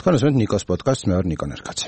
თქვენ უსმენთ ნიკოს პოდკასტს, მე ვარ ნიკო ნერგაცი.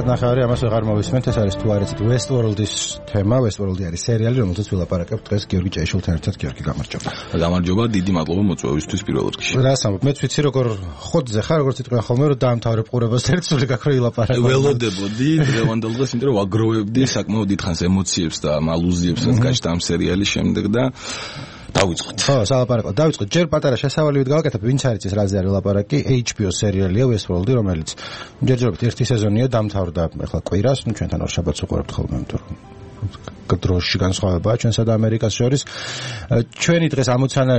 ნახევარი ამას ვეღარ მოვისმენთ, ეს არის თუ არ იცით Westworld-ის თემა, Westworld-ი არის სერიალი, რომელზეც ვილაპარაკებთ დღეს გიორგი ჭეიშვილთან ერთად. გიორგი, გამარჯობა. გამარჯობა, დიდი მადლობა მოწვევისთვის პირველ რიგში. რას ამბობ? მეც ვიცი როგორ ხოდზე ხარ, როგორც იტყვიან ხოლმე, რომ დაამთავრებ ყურებას ერთსული გაქრო ილაპარაკო. ველოდებოდი დღევანდელ დღეს, იმიტომ რომ ვაგროვებდი საკმაოდ დიდხანს ემოციებს და ალუზიებს, რაც გაჩნდა ამ სერიალის შემდეგ და დავიწყოთ. ხო, სალაპარაკო. დავიწყოთ. ჯერ პატარა შესავალივით გავაკეთებ, ვინც არ იცის რაზე არის ლაპარაკი, HBO სერიალია Westworld-ი, რომელიც ჯერჯერობით ერთი სეზონია დამთავრდა, ახლა კვირას, ნუ ჩვენთან ორ შაბათს უყურებთ ხოლმე, იმიტომ რომ დროში განსხვავებაა ჩვენსა და ამერიკას შორის. ჩვენი დღეს ამოცანა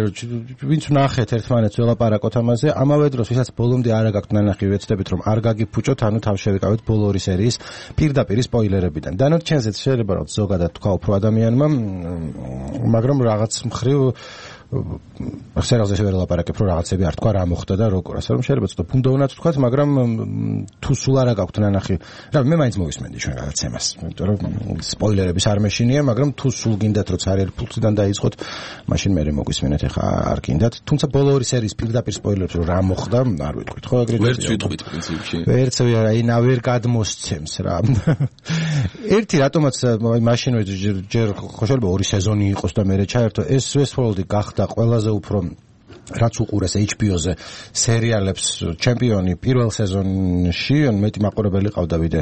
ვინც ვნახეთ ერთმანეთს ველაპარაკოთ ამაზე, ამავე დროს ვისაც ბოლომდე არ გაქვთ ნანახი, ვეცდებით რომ არ გაგიფუჭოთ, ანუ თავ შევიკავეთ ბოლო ორი სერიის პირდაპირ სპოილერებიდან. დანარჩენზეც შეიძლება რომ ზოგადად თქვა უფრო ადამიანმა, მაგრამ რაღაც მხრივ სერიალზე ვერ ვლაპარაკებ, რომ რაღაცები არ თქვა, რა მოხდა და როგორ. ასე რომ შეიძლება ცოტა ბუნდოვნად ვთქვათ, მაგრამ თუ სულ არა გაქვთ ნანახი, რა მე მაინც მოვისმენდი ჩვენ გადაცემას, იმიტომ რომ სპოილერების არ მეშინია, მაგრამ თუ სულ გინდათ რომ წარიელ ფულიდან დაიწყოთ, მაშინ მე მოგვისმენთ, ეხა არ გინდათ. თუმცა ბოლო ორი სერიის პირდაპირ სპოილერებს რომ რა მოხდა, არ ვიტყვით, ხო ეგრეთ. ვერც ვიტყვით პრინციპში. ვერც აი ვერ გადმოსცემს რა. ერთი რატომაც მაშინ ჯერ შეიძლება ორი სეზონი იყოს და მე ჩაერთო ეს Westworld-ი გახდა ყველაზე უფრო რაც უყურეს HBO-ზე სერიალებს ჩემპიონი პირველ სეზონში, ან მეტი მაყურებელი ყავდა ვიდრე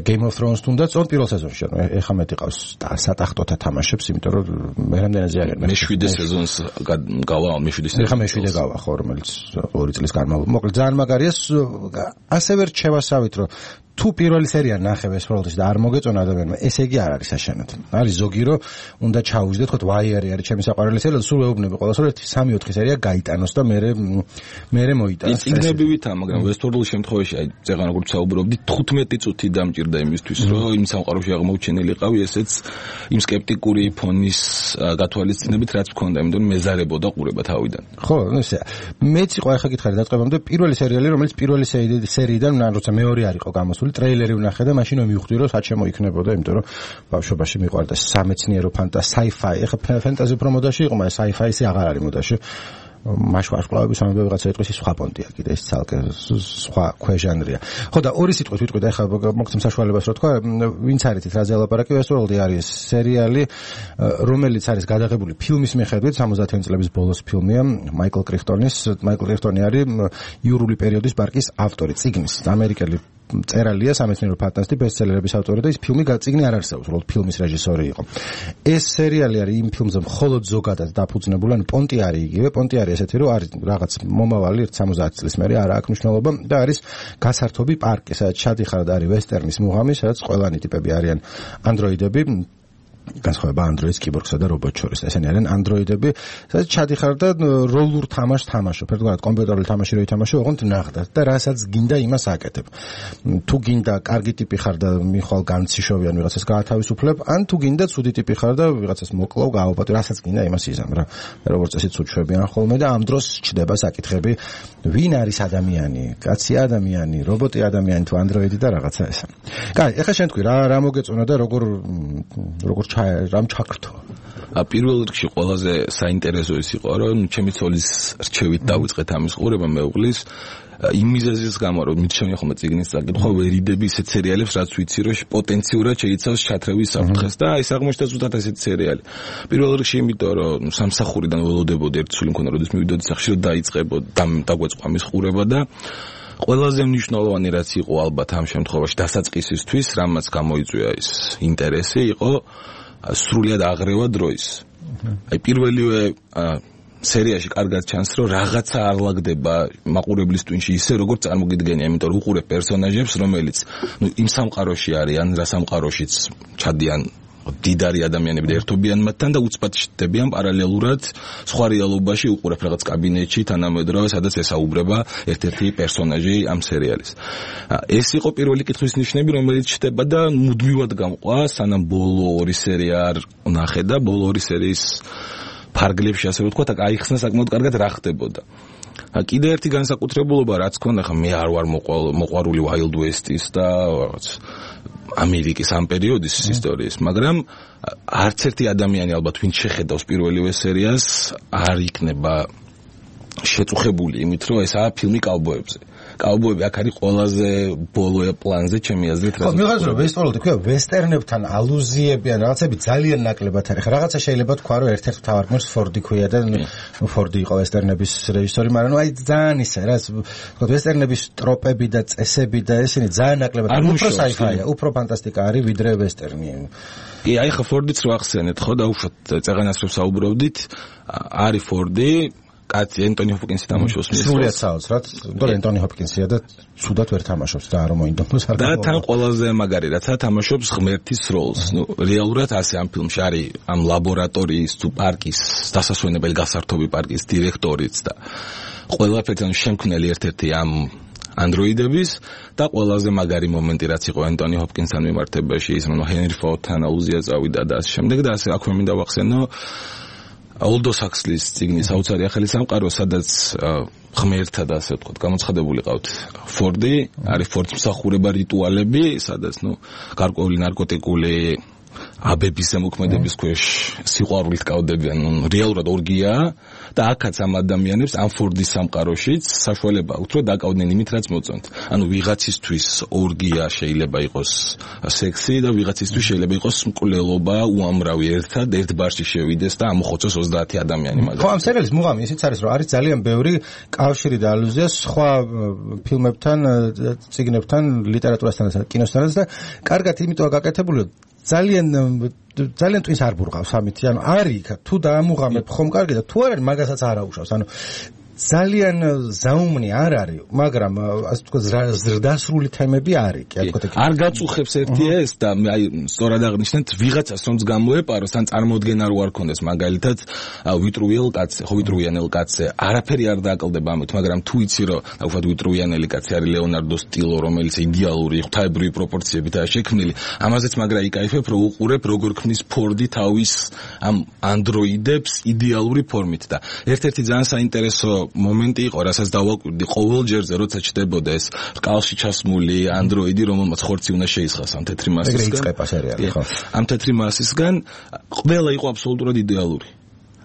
Game of Thrones თუნდაც პირველ სეზონში, ეხა მეტი ყავს სატახტოთა თამაშებს, იმიტომ რომ მე რამდენადზე აღარ მე-7 სეზონს გავა, მე-7 სეზონს. ეხა მე-7 გავა ხო, რომელიც 2 წლის განმავლობაში. მოკლედ ძალიან მაგარია, ასევე რჩევასავით რომ თუ პირველი სერია ნახე Westworld-ის და არ მოგეწონა ადამიანმა, ესე იგი არ არის საშენად. არის ზოგი რომ უნდა ჩაუვიძდეთ, თქო, ვაიარი არის ჩემი საყვარელი სერიალი, სულ ეუბნები ყოველას რომ 3-4 სერია გაიტანოს და მე მოიტანოს. წიგნები ვითა, მაგრამ Westworld-ის შემთხვევაში, აი, ზეღან როგორ ვსაუბრობდი, 15 წუთი დამჭირდა იმისთვის, რომ იმ სამყაროში აღმოჩენილიყავი ესეც იმ სკეპტიკური ფონის გათვალისწინებით, რაც მქონდა, იმიტომ რომ მეზარებოდა ყურება თავიდან. ხო, ესე. მეც იყო ახლა გითხარი დაწყებამდე პირველი სერიალი, რომელიც პირველი სერიიდან, როცა მეორე არ იყო გამოსული ტრეილერი ვნახე და მაშინ მივხვდი რომ საჩემო იქნებოდა, იმიტომ რომ ბავშვობაში მიყვარდა სამეცნიერო sci-fi. ეხლა ფენტაზი უფრო მოდაში იყო, მაგრამ sci-fi ისე აღარ არის მოდაში. მაშვარსკვლავების ამბები ვიღაცა იტყვის, ის სხვა პონტია კიდე, ეს ცალკე სხვა ქვეჟანრია. ხო და ორი სიტყვით ვიტყვით, ეხლა მოგცემ საშუალებას რომ თქვა, ვინც არ იცით რაზე ლაპარაკი, Westworld-ი არის სერიალი, რომელიც არის გადაღებული ფილმის მიხედვით, 70-იანი წლების ბოლოს ფილმია, მაიკლ კრიხტონის. მაიკლ კრიხტონი არის იურული პერიოდის პარკის ავტორი, წიგნის, ამერიკელი წერალია, სამეცნიერო ფანტასტი, ბესტსელერების ავტორი და ის წიგნი არ არსებობს, უბრალოდ ფილმის რეჟისორი იყო. ეს სერიალი არის იმ ფილმზე მხოლოდ ზოგადად დაფუძნებული, ანუ პონტი არის იგივე, პონტი არის ესეთი, რომ არის რაღაც მომავალი 70 წლის მერე არ აქვს მნიშვნელობა და არის გასართობი პარკი, სადაც ჩადიხარ და არის ვესტერნის მუღამი, სადაც ყველანი ტიპები არიან ანდროიდები, განსხვავება ანდროიდს, კიბორგსა და რობოტს შორის. ესენი არიან ანდროიდები, სადაც ჩადიხარ და როლურ თამაშს თამაშობ. ერთგვარად კომპიუტერული თამაში რო ითამაშო, ოღონდ ნახდათ და რასაც გინდა იმას აკეთებ. თუ გინდა კარგი ტიპი ხარ და მიხვალ განციშვი ან ვიღაცას გაათავისუფლებ, ან თუ გინდა ცუდი ტიპი ხარ და ვიღაცას მოკლავ, გააუპატო, რასაც გინდა იმას იზამ რა. როგორც წესი ცუჩვებიან ხოლმე და ამ დროს ჩდება საკითხები, ვინ არის ადამიანი, კაცი ადამიანი, რობოტი ადამიანი თუ ანდროიდი და რაღაცა ესა. კაი, ეხლა შენ თქვი რა მოგეწონა და როგორ რამ ჩაქრთო. პირველ რიგში ყველაზე საინტერესო ის იყო, რომ ჩემი ცოლის რჩევით დავიწყეთ ამის ყურება მეუღლის იმ მიზეზის გამო, რომ მიჩვენე ხოლმე წიგნის საკითხვა, ვერიდები ისეთ სერიალებს, რაც ვიცი, რომ პოტენციურად შეიცავს ჩათრევის საფრთხეს და ეს აღმოჩნდა ზუსტად ესეთი სერიალი. პირველ რიგში იმიტომ, რომ სამსახურიდან ველოდებოდი ერთ სული მქონდა, როდის მივიდოდი სახში, რომ დაიწყებოდ დაგვეწყვა მის ყურება და ყველაზე მნიშვნელოვანი რაც იყო ალბათ ამ შემთხვევაში დასაწყისისთვის, რამაც გამოიწვია ის ინტერესი, იყო სრულიად აღრევა დროის. აი პირველივე სერიაში კარგად ჩანს, რომ რაღაცა არ ლაგდება მაყურებლის ტვინში ისე, როგორც წარმოგიდგენია, იმიტომ რომ უყურებ პერსონაჟებს, რომელიც იმ სამყაროში არიან, რა სამყაროშიც ჩადიან დიდარი ადამიანები და ერთობიან მათთან და უცბად ჩნდებიან პარალელურად სხვა რეალობაში უყურებ რაღაც კაბინეტში თანამედროვე სადაც ესაუბრება ერთ-ერთი პერსონაჟი ამ სერიალის. ეს იყო პირველი კითხვის ნიშნები, რომელიც ჩნდება და მუდმივად გამყვა, სანამ ბოლო ორი სერია არ ნახე და ბოლო ორი სერიის ფარგლებში ასე ვთქვათ, აიხსნა საკმაოდ კარგად რა ხდებოდა. კიდე ერთი განსაკუთრებულობა რაც ქონდა, ხა მე არ ვარ მოყვარული Wild West-ის და რაღაც ამერიკის ამ პერიოდის ისტორიის, მაგრამ არც ერთი ადამიანი ალბათ ვინც შეხედავს პირველივე სერიას არ იქნება შეწუხებული იმით, რომ ესაა ფილმი კაუბოებზე. კაუბოები აქ არის ყველაზე ბოლო პლანზე ჩემი აზრით. ხო, მიღაც რომ ვესტფალოდი ქვია ვესტერნებთან ალუზიები ან რაღაცები ძალიან ნაკლებად არის. რაღაცა შეიძლება თქვა რომ ერთ-ერთ მთავარ გმირს ფორდი ქვია და ფორდი იყო ვესტერნების რეჟისორი, მაგრამ აი ძალიან ისე რა, თქო ვესტერნების ტროპები და წესები და ესენი ძალიან ნაკლებად უფრო საიფაია, უფრო ფანტასტიკა არის ვიდრე ვესტერნი. კი, აი ხა ფორდიც რო ახსენეთ, ხო და უშოთ წეღანას რო საუბრობდით, არის ფორდი კაცი ენტონი ჰოპკინსი თამაშობს მის სრულიად საოცრად, თორე ენტონი ჰოპკინსია და ცუდად ვერ თამაშობს და არ მოინდომოს არ. და თან ყველაზე მაგარი რაცა თამაშობს ღმერთის როლს. ნუ რეალურად ასე ამ ფილმში არის ამ ლაბორატორიის თუ პარკის დასასვენებელი გასართობი პარკის დირექტორიც და ყველაფერთან შემქმნელი ერთ-ერთი ამ ანდროიდების და ყველაზე მაგარი მომენტი რაც იყო ენტონი ჰოპკინსთან მიმართებაში ის რომ ჰენრი ფორდთან ალუზია წავიდა და ასე შემდეგ და ასე აქვე მინდა ვახსენო Aldous Huxley-ის წიგნის საოცარი ახალი სამყარო, სადაც ღმერთთა და ასე ვთქვათ, გამოცხადებული ყავთ ფორდი, არის ფორდის მსახურება რიტუალები, სადაც გარკვეული ნარკოტიკული აბების ზემოქმედების ქვეშ სიყვარულით კავდებიან, რეალურად ორგიაა და აქაც ამ ადამიანებს ამ ფორდის სამყაროშიც საშუალება აქვთ, რომ დაკავდნენ იმით, რაც მოწონთ. ანუ ვიღაცისთვის ორგია შეიძლება იყოს სექსი და ვიღაცისთვის შეიძლება იყოს მკვლელობა უამრავი ერთად ერთ ბარში შევიდეს და ამოხოცოს 30 ადამიანი მაგალითად. ხო, ამ სერიალის მუღამი ისიც არის, რომ არის ძალიან ბევრი კავშირი და ალუზია სხვა ფილმებთან, წიგნებთან, ლიტერატურასთან და კინოსთანაც და კარგად იმიტოა გაკეთებული, ძალიან twins არ ბურღავს ამით, ანუ არის თუ დაამუღამებ ხომ კარგი და თუ არ არის მაგასაც არ აუშავს, ანუ ძალიან ზაუმნი არ არის, მაგრამ ასე ვთქვათ ზრდასრული თემები არის, კი არ ვთქვათ. არ გაწუხებს ერთი ეს და აი სწორად აღნიშნეთ, ვიღაცას რომც გამოეპაროს, ან წარმოდგენა რო არ ქონდეს, მაგალითად ვიტრუვიანელ კაცზე, არაფერი არ დააკლდება ამით, მაგრამ თუ იცი რომ ვთქვათ ვიტრუვიანელი კაცი არის ლეონარდო სტილო, რომელიც იდეალური ღვთაებრივი პროპორციებითაა შექმნილი, ამაზეც მაგრა იკაიფებ, რომ უყურებ როგორ ქმნის ფორდი თავის ამ ანდროიდებს იდეალური ფორმით და ერთ-ერთი ძალიან საინტერესო მომენტი იყო, რასაც დავაკვირდი ყოველ ჯერზე, როცა ჩდებოდა ეს რკალში ჩასმული ანდროიდი, რომელმაც ხორცი უნდა შეისხას ამ თეთრი მასისგან. ამ თეთრი მასისგან ყველა იყო აბსოლუტურად იდეალური.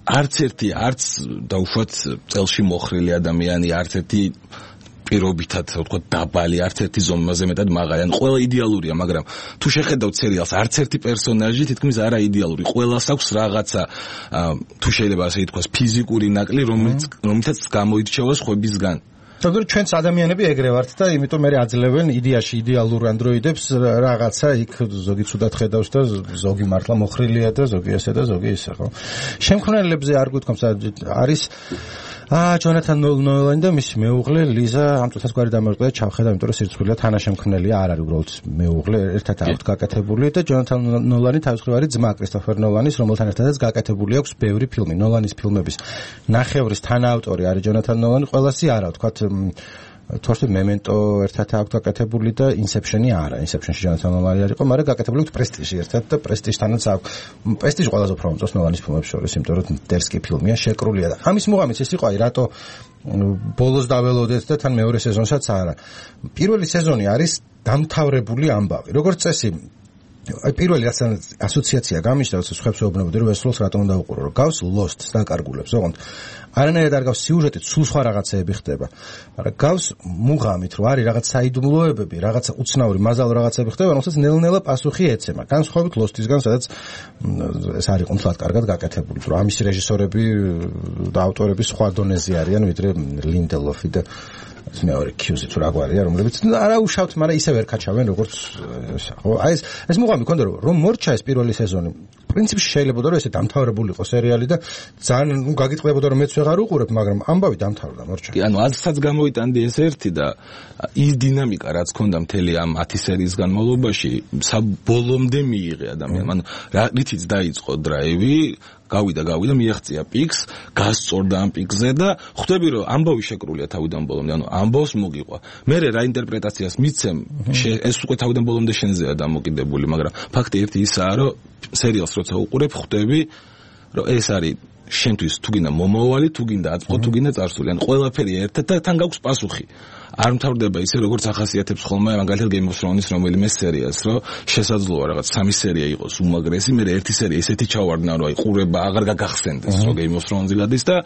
არც ერთი, არც დაუშვათ წელში მოხრილი ადამიანი, არც ერთი პირობითად, ვთქვათ, დაბალი, არც ერთი ზომაზე მეტად მაღალი. ან ყველა იდეალურია, მაგრამ თუ შეხედავთ სერიალს, არც ერთი პერსონაჟი თითქმის არა იდეალური. ყველას აქვს რაღაცა, თუ შეიძლება ასე ითქვას, ფიზიკური ნაკლი, რომელთაც გამოირჩევა სხვებისგან. თორემ ჩვენც ადამიანები ეგრე ვართ და იმიტომ მე აძლევენ იდეაში იდეალურ ანდროიდებს რაღაცა იქ ზოგი ცუდად ხედავს და ზოგი მართლა მოხრილია და ზოგი ესე და ზოგი ისე, ხო? შემქმნელებზე არ გვითქვამს არის ჯონათან ნოლანი და მისი მეუღლე ლიზა ამ წუთას გვარი დამერყდა და ჩავხედა, იმიტომ რომ სირცხვილია თანაშემქმნელია, არ არის უბრალოდ მეუღლე, ერთად აქვთ გაკეთებული და ჯონათან ნოლანი თავის მხრივ არის ძმა კრისტოფერ ნოლანის, რომელთან ერთადაც გაკეთებული აქვს ბევრი ფილმი. ნოლანის ფილმების ნახევრის თანაავტორი არის ჯონათან ნოლანი, ყველასი არა, ვთქვათ თორსი მემენტო ერთად აქვს გაკეთებული და ინსეფშენი არა. ინსეფშენში ჯონათან ნოლანი არ იყო, მაგრამ გაკეთებული აქვს პრესტიჟი ერთად და პრესტიჟთანაც აქვს. პრესტიჟი ყველაზე უფრო მომწონს ნოლანის ფილმებს შორის, იმიტომ რომ დერსკი ფილმია, შეკრულია და ამის მუღამიც ეს იყო, აი რატო ბოლოს დაველოდეთ და თან მეორე სეზონსაც არა. პირველი სეზონი არის დამთავრებული ამბავი. როგორც წესი აი პირველი რაც ასოციაცია გამიშდა, როცა სხვებს ეუბნებოდი რომ ეს როლს რატომ უნდა უყურო, რომ გავს Lost-ს დაკარგულებს, ოღონდ არანაირად არ გავს სიუჟეტით, სულ სხვა რაღაცეები ხდება. მაგრამ გავს მუღამით, რომ არის რაღაც საიდუმლოებები, რაღაცა უცნაური მაზალო რაღაცები ხდება, რომელსაც ნელ-ნელა პასუხი ეცემა. განსხვავებით Lost-ისგან, სადაც ეს არის კონკრეტულად კარგად გაკეთებული, რომ ამის რეჟისორები და ავტორები სხვა დონეზე არიან, ვიდრე ლინდელოფი და მეორე კიუზი თუ რაგვარია, რომლებიც არა უშავთ, მაგრამ ისე ვერ კაჩავენ როგორც ხო. აი ეს მუღამი ქონდა რომ მორჩა ეს პირველი სეზონი პრინციპში შეიძლება რომ ესე დამთავრებულიყო სერიალი და ძალიან გაგიტყდებოდა რომ მეც ვეღარ უყურებ, მაგრამ ამბავი დამთავრდა მორჩა. კი, ანუ აზრსაც გამოვიტანდი ეს ერთი და ის დინამიკა რაც ქონდა მთელი ამ 10 სერიის განმავლობაში საბოლომდე მიიღე ადამიანს. ანუ რითიც დაიწყო დრაივი, გავიდა მიაღწია პიკს, გასწორდა ამ პიკზე და ხვდები რომ ამბავი შეკრულია თავიდან ბოლომდე, ანუ ამბავს მოგიყვა. მე რა ინტერპრეტაციას მიცემ, ეს უკვე თავიდან ბოლომდე შენზეა დამოკიდებული, მაგრამ ფაქტი ერთი ისაა, რომ სერიალს როცა უყურებ, ხვდები რომ ეს არის შენთვის თუ გინდა მომავალი, თუ გინდა აწყო, თუ გინდა წარსული, ან ყველაფერი ერთად და თან გაქვს პასუხი. არ მთავრდება ისე როგორც ახასიათებს ხოლმე მაგალითად Game of Thrones რომელიმე სერიას, რომ შესაძლოა რაღაც 3 სერია იყოს უმაგრესი, მე ერთი სერია ესეთი ჩავარდნა, რომ აი ყურება აღარ გაგახსენდეს, რომ Game of Thrones გადის და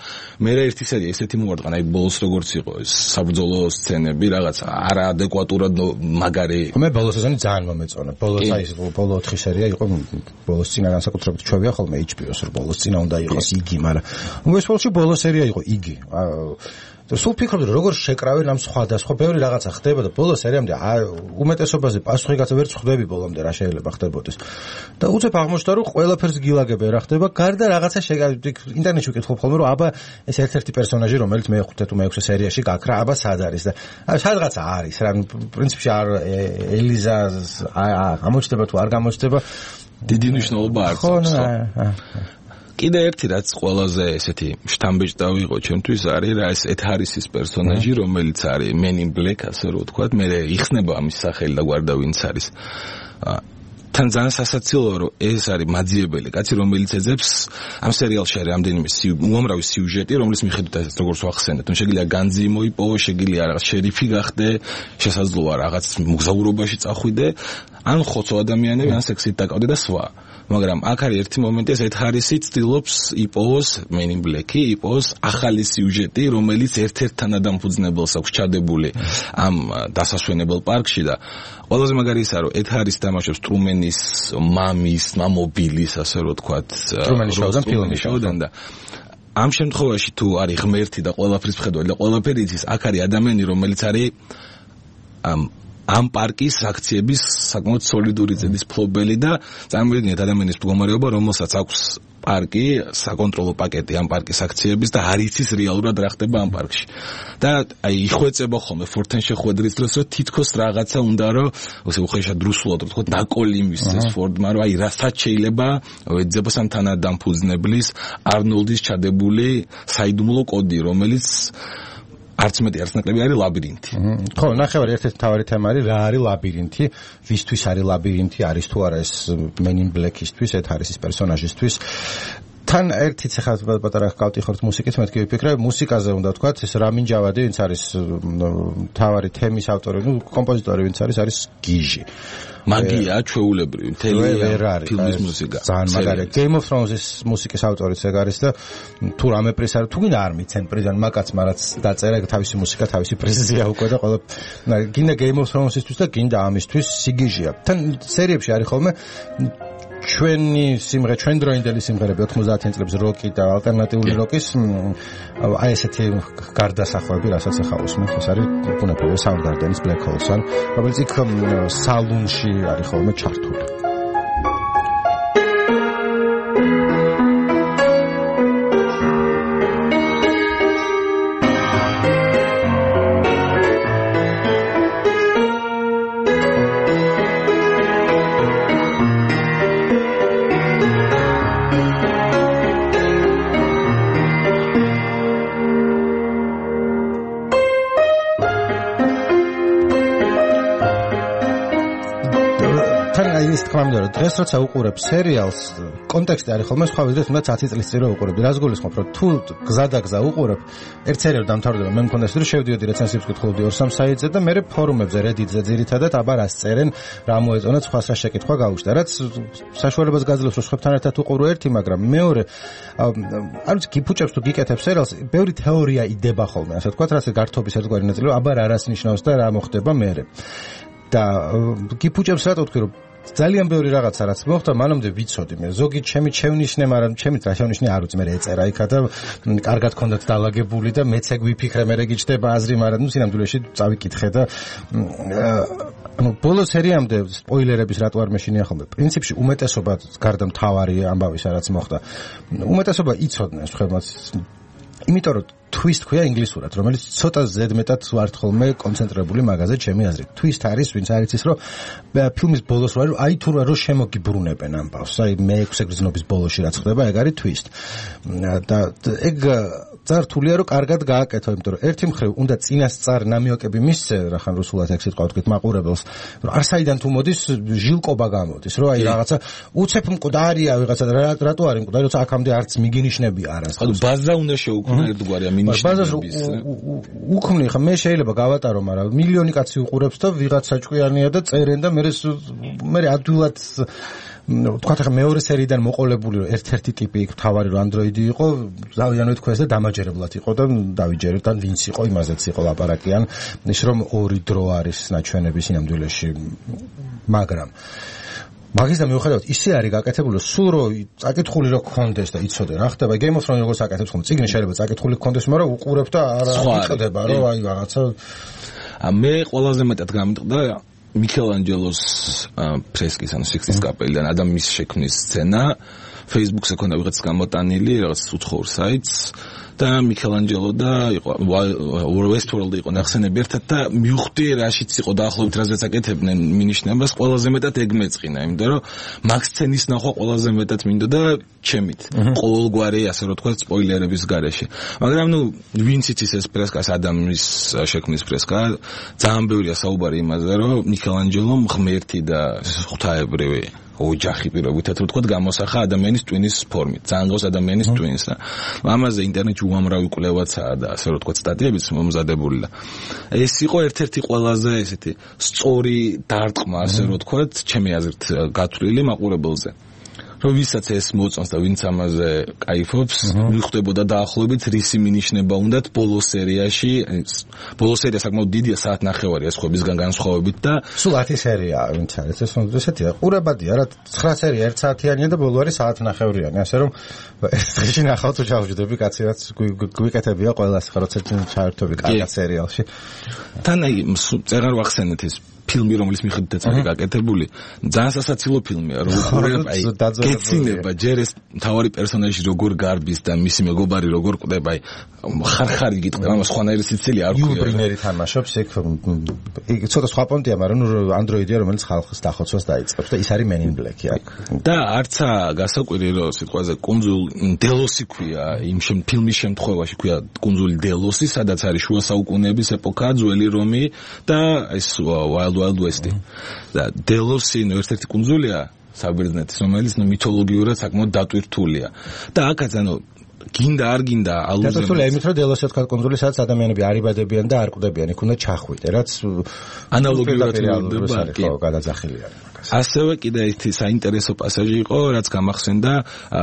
მე ერთი სერია ესეთი მოვარდნა, აი ბოლოს როგორც იყო ეს საბრძოლო სცენები, რაღაც არაადეკვატურად მაგარი. მე ბოლოს სეზონი ძალიან მომეწონა. ბოლოს აი ბოლო 4 სერია იყო, ბოლოს წინა განსაკუთრებით ჩვევია ხოლმე HBO-ს, რომ ბოლოს წინა უნდა იყოს იგი, მაგრამ უმეტესობაში ბოლო სერია იყო იგი. სულ ფიქრობდი როგორ შეკრავენ ამ სხვადასხვა ბევრი რაღაცა ხდება და ბოლო სერიამდე უმეტესობაზე პასუხი გაცა ვერც ხვდები ბოლომდე რა შეიძლება ხდებოდეს და უცებ აღმოჩნდა რომ ყველაფერს გილაგებენ რა ხდება გარდა რაღაცა ინტერნეტში ვკითხულობ ხოლმე რომ აბა ეს ერთ-ერთი პერსონაჟი რომელიც მე-5 თუ მე-6 სერიაში გაქრა აბა სად არის და სადღაცა არის რა პრინციპში არ ელიზა გამოჩნდება თუ არ გამოჩნდება დიდი მნიშვნელობა აქვს კიდე ერთი რაც ყველაზე ესეთი შთამბეჭდავი იყო ჩემთვის არის რა ეს ეთ ჰარისის პერსონაჟი რომელიც არის Men in Black ასე რომ ვთქვათ მე იხსნება ამის სახელი და გვარდა ვინც არის თან ძალიან სასაცილოა რომ ეს არის მაძიებელი კაცი რომელიც ეძებს ამ სერიალში არის რამდენიმე უამრავი სიუჟეტი რომლის მიხედვითაც როგორც ვახსენეთ შეიძლება განძი მოიპოვო შეიძლება რაღაც შერიფი გახდე შესაძლოა რაღაც მოგზაურობაში წახვიდე ან ხოცო ადამიანები ან სექსით დაკავდე და სხვა მაგრამ აქ არის ერთი მომენტი ეს ეთ ჰარისი ცდილობს იპოვოს Men in Black-ი იპოვოს ახალი სიუჟეტი რომელიც ერთ-ერთთან ადამიანს აქვს ჩადებული ამ დასასვენებელ პარკში და ყველაზე მაგარი ისაა რომ ეთ ჰარისი თამაშობს ტრუმენის მამის მამობილის ასე რომ თქვათ ტრუმენის ფილმში და ამ შემთხვევაში თუ არის ღმერთი და ყველაფრის მხედველი და ყველაფერი იცის აქ არის ადამიანი რომელიც არის ამ პარკის აქციების საკმაოდ სოლიდური ზედის ფლობელი და წარმოიდგინეთ ადამიანის მდგომარეობა რომელსაც აქვს პარკი საკონტროლო პაკეტი ამ პარკის აქციების და არ იცის რეალურად რა ხდება ამ პარკში და აი იხვეწება ხოლმე ფორტენ შეხვედრის დროს რომ თითქოს რაღაცა უნდა რომ ასე უხეშად რუსულად რო თქვა დაკოლი მისცეს ფორდმა რომ აი რასაც შეიძლება ეძებოს ამ თანადამფუძნებლის არნოლდის ჩადებული საიდუმლო კოდი რომელიც არც მეტი არც ნაკლები არის ლაბირინთი. ხო, ნახევარი ერთ-ერთი მთავარი თემა არის რა არის ლაბირინთი, ვისთვის არის ლაბირინთი, არის თუ არა ეს Men in Black-ისთვის, ეთ ჰარისის პერსონაჟისთვის. თან ერთიც ახლა პატარა გავტიხოთ მუსიკით, მეთქი ვიფიქრე, მუსიკაზე უნდა ვთქვათ, ეს რამინ ჯავადი, ვინც არის მთავარი თემის ავტორი, კომპოზიტორი, ვინც არის გიჟი. მაგია ჩვეულებრივი მთელი ფილმის მუსიკა. ძალიან მაგარია. Game of Thrones-ის მუსიკის ავტორიც ეგ არის და თუ რამე პრიზ არის, თუ გინდა არ მიცენ პრიზან მაკაცმა რაც დაწერა თავისი მუსიკა, თავისი პრიზია უკვე და ყველა გინდა Game of Thrones-ისთვის და გინდა ამისთვის სიგიჟია. თან სერიებში არის ხოლმე ჩვენი სიმღერა, ჩვენ დროინდელი სიმღერები 90-იან წლების როკი და ალტერნატიული როკის აი ესეთი გარდასახვები, რასაც ახლა უსმენთ, ეს არის ბუნებრივი Soundgarden-ის Black Hole-სან, რომელიც იქ სალონში არის ხოლმე ჩართული. დღეს როცა უყურებ სერიალს, კონტექსტი არის ხოლმე სხვა ვიდრე თუნდაც 10 წლის წინ რო უყურებ. რას გულისხმობ, რომ თუ გზადაგზა უყურებ, ერთ სერიალს დამთავრდება, მე მქონდა ისე რომ შევდიოდი რეცენზიებს ვკითხულობდი 2-3 საიტზე და მე ფორუმებზე, Reddit-ზე ძირითადად აბა რას წერენ, რა მოეწონათ, სხვა შეკითხვა გავუშტა, რაც საშუალებას გაძლევს, რომ სხვებთან ერთად უყურო ერთი, მაგრამ მეორე არ ვიცი, გიფუჭებს თუ გიკეთებ სერიალს, ბევრი თეორია იდება ხოლმე, ასე ვთქვათ, რაც გართობის ერთგვარი ნაწილი, აბა რას ნიშნავს და რა მოხდება მერე. და გიფუჭებს რატო ვთქვი, რომ ძალიან ბევრი რაღაცა რაც მოხდა, მანამდე ვიცოდი მე. ზოგი ჩემი ჩევნიშნე, მაგრამ ჩემი რა ჩევნიშნე არ უწმე ეწერა იქა და კარგად ქონდათ დალაგებული და მეც ეგ ვიფიქრე, მე რე გიჩდება აზრი, მაგრამ სინამდვილეში წავიკითხე და ანუ ბოლო სერიამდე სპოილერების რატო არ მეშინია ხოლმე. პრინციპში უმეტესობა გარდა მთავარი ამბავისა რაც მოხდა. უმეტესობა იცოდნენ ხემაც. იმიტომ რომ twist ქვია ინგლისურად, რომელიც ცოტა ზედმეტად ვართ ხოლმე კონცენტრირებული მაგაზე ჩემი აზრით. twist არის, ვინც არ იცის, რომ ფილმის ბოლოს რა აი თუ რა რომ შემოგიბრუნებენ ამბავს. აი მე-6 გრძნობის ბოლოში რაც ხდება, ეგ არის twist. და ეგ წართულია რომ კარგად გააკეთო, იმიტომ რომ ერთი მხრივ უნდა წინასწარ ნამიოკები მისცე, რახან რუსულად ეგ სიტყვა ვთქვით მაყურებელს, რომ არსაიდან თუ მოდის ჟილკობა გამოდის, რომ აი რაღაცა უცებ მკვდარია ვიღაცა რატო არის მკვდარი, როცა აქამდე არც მიგინიშნებია არას. ხა ბაზა უნდა შეუქმნა ერთგვარია მინიშნებების. უქმნი ხა მე შეიძლება გავატარო, მაგრამ მილიონი კაცი უყურებს და ვიღაცა ჭკვიანია და წერენ და მე ადვილად თქვათ ახლა მეორე სერიიდან მოყოლებული რომ ერთ-ერთი ტიპი იქ თავარი რომ ანდროიდი იყო, დავიანო თქვენს და დამაჯერებლად იყო და დავიჯერეთ და ვინც იყო იმაზეც იყო ლაპარაკიან, ის რომ ორი დრო არის ნაჩვენების ინამდვილეში. მაგრამ მაგის და მიუხედავად ისე არის გაკეთებული, სულ რომ წაკითხული რო გქონდეს და იცოდე რა ხდება, Game of Thrones როგორც აკეთებს ხომ, წიგნი შეიძლება წაკითხული გქონდეს, მაგრამ უყურებ და არ იწდება რომ აი რაღაცა მე ყველაზე მეტად გამიტყდა მიქელანჯელოს ფრესკის ანუ სიქსის კაპელიდან ადამიანის შექმნის სცენა Facebook-ზე ქონდა ვიღაც გამოტანილი რაღაც უცხოურ საიტს და მიქელანჯელო და იყო Westworld-ი იყო ნახსენები ერთად და მივხვდი რაშიც იყო დაახლოებით რაზეც აკეთებდნენ მინიშნებას ყველაზე მეტად ეგ მეწყინა იმიტომ რომ მაგ სცენის ნახვა ყველაზე მეტად მინდოდა ჩემით ყოველგვარი ასე რომ თქვა სპოილერების გარეშე მაგრამ ნუ ვინც იცის ეს ფრესკას ადამიანის შექმნის ფრესკა ძალიან ბევრია საუბარი იმაზე რომ მიქელანჯელომ ღმერთი და ღვთაებრივი ოჯახი პირობითად რომ თქვა გამოსახა ადამიანის ტვინის ფორმით ძალიან გავს ადამიანის ტვინს და ამაზე ინტერნეტში უამრავი კვლევაცაა და ასე რომ თქვა სტატიებიც მომზადებული და ეს იყო ერთ-ერთი ყველაზე ესეთი სწორი დარტყმა ასე რომ თქვა ჩემი აზრით გათვლილი მაყურებელზე რომ ვისაც ეს მოწონს და ვინც ამაზე кайფობს მიხვდებოდა დაახლოებით რისი მინიშნება უნდათ ბოლო სერიაში ბოლო სერია საკმაოდ დიდია საათნახევარი ეს ხვებისგან განსხვავებით და სულ 10 სერიაა ვინც არის ეს ესეთია ყურებადია რა 9 სერია 1 საათიანია და ბოლო არის საათნახევრიანი ასე რომ ეს დღეში ნახავ თუ ჩავჯდები კაცი რაც გვიკეთებია ყველას ხა როცა ჩაერთვები კარგად სერიალში თან აი წერარ ვახსენეთ ეს ფილმი რომლის მიხედვითაც არის გაკეთებული ძალიან სასაცილო ფილმია რომ უყურებ აი გეცინება ჯერ ეს მთავარი პერსონაჟი როგორ გარბის და მისი მეგობარი როგორ კვდება აი ხარხარი გიტყდება ამას ხვანაირი სიცილი არ ქვია ბრინერი თამაშობს ეგ ცოტა სხვა პონტია მაგრამ ანდროიდია რომელიც ხალხს დახოცვას დაიწყებს და ის არის Men in Black-ი აქ და არცა გასაკვირი რომ სიტყვაზე კუნძულ დელოსი ქვია იმ ფილმის შემთხვევაში ქვია კუნძული დელოსი სადაც არის შუა საუკუნეების ეპოქა ძველი რომი და ეს Wild West-ი და დელოსი ერთ-ერთი კუნძულია საბერძნეთის რომელიც მითოლოგიურად საკმაოდ დატვირთულია და აქაც ანუ გინდა არ გინდა ალუზია დატვირთულია იმით რომ დელოსი თქვა კუნძული სადაც ადამიანები არ იბადებიან და არ კვდებიან იქ უნდა ჩახვიდე რაც ანალოგიურად მოხდება ხო გადაძახილია ასევე კიდე ერთი საინტერესო პასაჟი იყო რაც გამახსენდა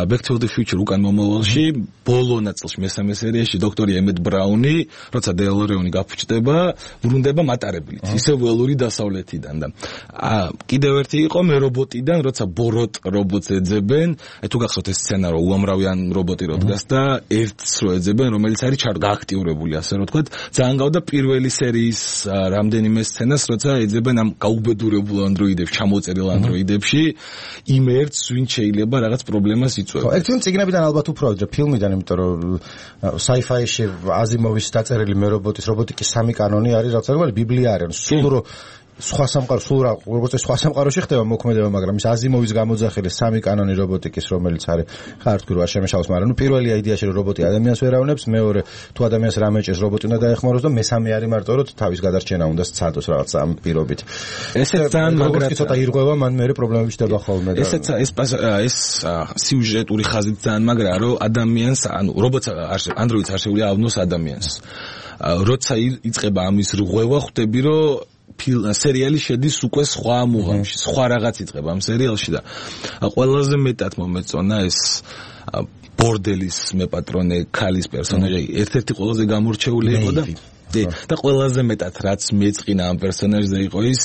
Back to the Future უკან მომავალში ბოლო ნაწილში მესამე სერიაში დოქტორი ემეტ ბრაუნი როცა დელორეონი გაფუჭდება ბრუნდება მატარებლით ისე ველური დასავლეთიდან და კიდევ ერთი იყო მე რობოტიდან როცა ბოროტ რობოტს ეძებენ აი თუ გახსოვთ ეს სცენა რომ უამრავიან რობოტი როდგას და ერთს რო ეძებენ რომელიც არის გააქტიურებული ასე რომ თქვა ძალიან გავდა პირველი სერიის რამდენიმე სცენას როცა ეძებენ ამ გაუბედურებულ ანდროიდებს ჩამოწერილ ანდროიდებში იმ ერთს ვინ შეიძლება რაღაც პრობლემას იწვევს. ხო, ერთიმ ციგნებიდან ალბათ უფრო ვიდრე ფილმიდან, იმიტომ რომ sci-fi-ში აზიმოვის დაწერილი მე რობოტის რობოტიკის 3 კანონი არის, რაც არის ბიბლია არის. სულ რო სხვა სამყარო სულ როგორც სხვა სამყაროში ხდება მოქმედება, მაგრამ ის აზიმოვის გამოძახილი 3 კანონი რობოტიკის, რომელიც არის ხართ ქვირ არ შემეშალოს, მაგრამ ნუ პირველი აიდეაში რომ რობოტი ადამიანს ვერავნებს, მეორე თუ ადამიანს რა მეჭეს რობოტი უნდა დაეხმაროს და მესამე არის მარტო რომ თავის გადარჩენა უნდა სცადოს რაღაც ამ პირობით. ესეც ძალიან მაგრად ცოტა ირღვევა, მან მეორე პრობლემები ჩდება ხოლმე და ეს სიუჟეტური ხაზით ძალიან მაგრაა რომ ადამიანს ანუ რობოტს ანდროიდს არ შეუძლია ავნოს ადამიანს. როცა იწყება ამის რღვევა, ხვდები რომ სერიალი შედის უკვე სხვა მუღამში, სხვა რაღაც იწყება ამ სერიალში და ყველაზე მეტად მომეწონა ეს ბორდელის მეპატრონე ქალის პერსონაჟი, ერთ-ერთი ყველაზე გამორჩეული იყო და და ყველაზე მეტად რაც მეწყინა ამ პერსონაჟზე იყო ის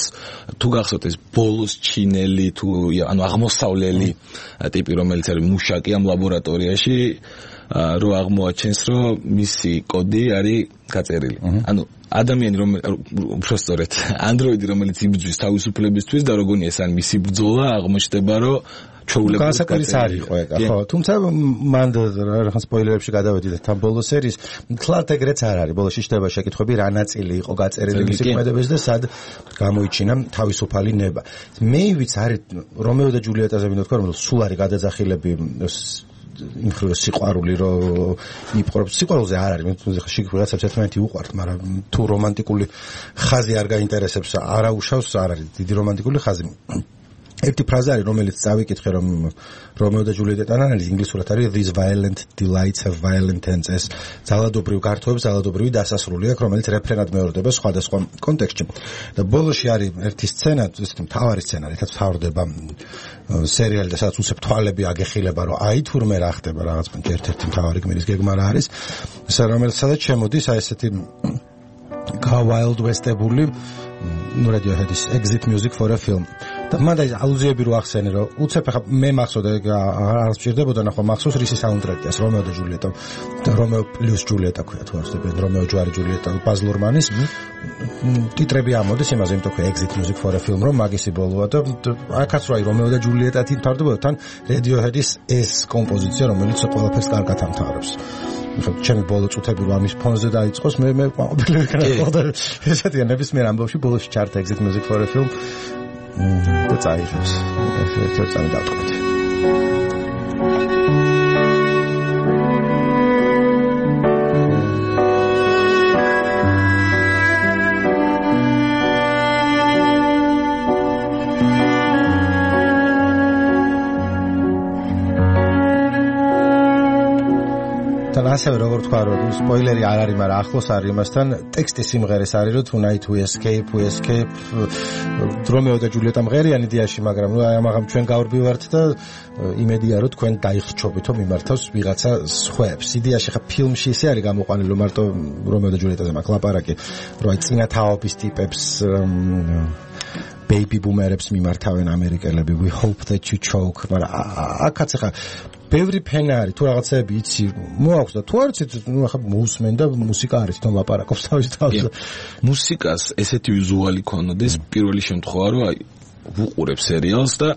თუ გახსოვთ ეს ბოლოს ჩინელი თუ ანუ აღმოსავლელი ტიპი რომელიც არის მუშაკი ამ ლაბორატორიაში რო აღმოაჩენს რომ მისი კოდი არის გაწერილი ანუ ადამიანი უფრო სწორედ ანდროიდი რომელიც იბრძვის თავისუფლებისთვის და როგორი ეს ან მისი ბრძოლა აღმოჩნდება რომ განსაკუთრებით არ იყო ეგ ხო თუმცა მან რაღაც სპოილერებში გადავედით თან ბოლო სერიის თლათ ეგრეც არ არის ბოლოში შევიდა შეკითხვები რა ნაწილი იყო გაწერილი მისი ქმედებაში და სად გამოიჩინა თავისუფალი ნება მე ვიცი არის რომეო და ჯულიეტაზე მინდა თქვა რომ სულ არის გადაძახილები იმ ხრივ სიყვარული რომ იპყრობს სიყვარულზე არ არის მე ხა შეგ რაღაცებს ერთმანეთი უყვართ მაგრამ თუ რომანტიკული ხაზი არ გაინტერესებს არაუშავს არ არის დიდი რომანტიკული ხაზი ერთი ფრაზა არის რომელიც წავიკითხე რომ რომეო და ჯულიეტთან არის ინგლისურად არის these violent delights have violent ends ეს ძალადობრივ გართობებს ძალადობრივი დასასრული აქვს რომელიც რეფრენად მეორდება სხვადასხვა კონტექსტში და ბოლოში არის ერთი სცენა ესეთი მთავარი სცენა რითაც თავდება სერიალი და სადაც უცებ თვალები აგეხილება რომ აი თურმე რა ხდება რაღაც ერთ-ერთი მთავარი გმირის გეგმა რა არის ეს რომელიც სადაც შემოდის აი ესეთი wild west-ებული ну Radiohead-ის exit music for a film და მანდა ალუზიები რო ახსენე რომ უცებ ხა მე მახსოვდა არ სჭირდებოდა ნახო მახსოვს რისი საუნდტრეკია რომეო და ჯულიეტა და რომეო პლუს ჯულიეტა ქვია თუ არ ვსწრებენ რომეო ჯვარი ჯულიეტა ბაზ ლორმანის ტიტრები ამოდის იმაზე იმიტომ რომ exit music for a film რომ მაგისი ბოლოა და აქაც რა რომეო და ჯულიეტა თვითმთავრდებოდა თან Radiohead-ის ეს კომპოზიცია რომელიც ყველაფერს კარგად ამთავრებს ჩემი ბოლო წუთები რომ ამის ფონზე დაიწყოს მე ყოფილი ვიქნა ესეთია ნებისმიერ ამბავში ბოლოში ჩარტ exit music for a film და წაიღებს ერთ-ერთ წამი დავტყობთ ასევე როგორ თქვა რომ სპოილერი არ არის მაგრამ ახლოს არის იმასთან ტექსტი სიმღერის არის რომ tonight we escape რომეო და ჯულიეტა მღერიან იდეაში მაგრამ ნუ აი ამაღამ ჩვენ გავრბივართ და იმედია რომ თქვენ დაიხრჩობითო მიმართავს ვიღაცა სხვებს იდეაში ხა ფილმში ისე არის გამოყვანილი რომ მარტო რომეო და ჯულიეტაზე მაქვს ლაპარაკი რომ აი წინა თაობის ტიპებს baby boomerებს მიმართავენ ამერიკელები we hope that you choke მაგრამ აქაც ხა ბევრი ფენა არის თუ რაღაცები იცი მოაქვს და თუ არ იცით ნუ ახლა მოусმენ და მუსიკა არის თვითონ ლაპარაკობს თავის თავს მუსიკას ესეთი ვიზუალი ქონოდეს პირველი შემთხვევა რომ აი ვუყურებ სერიალს და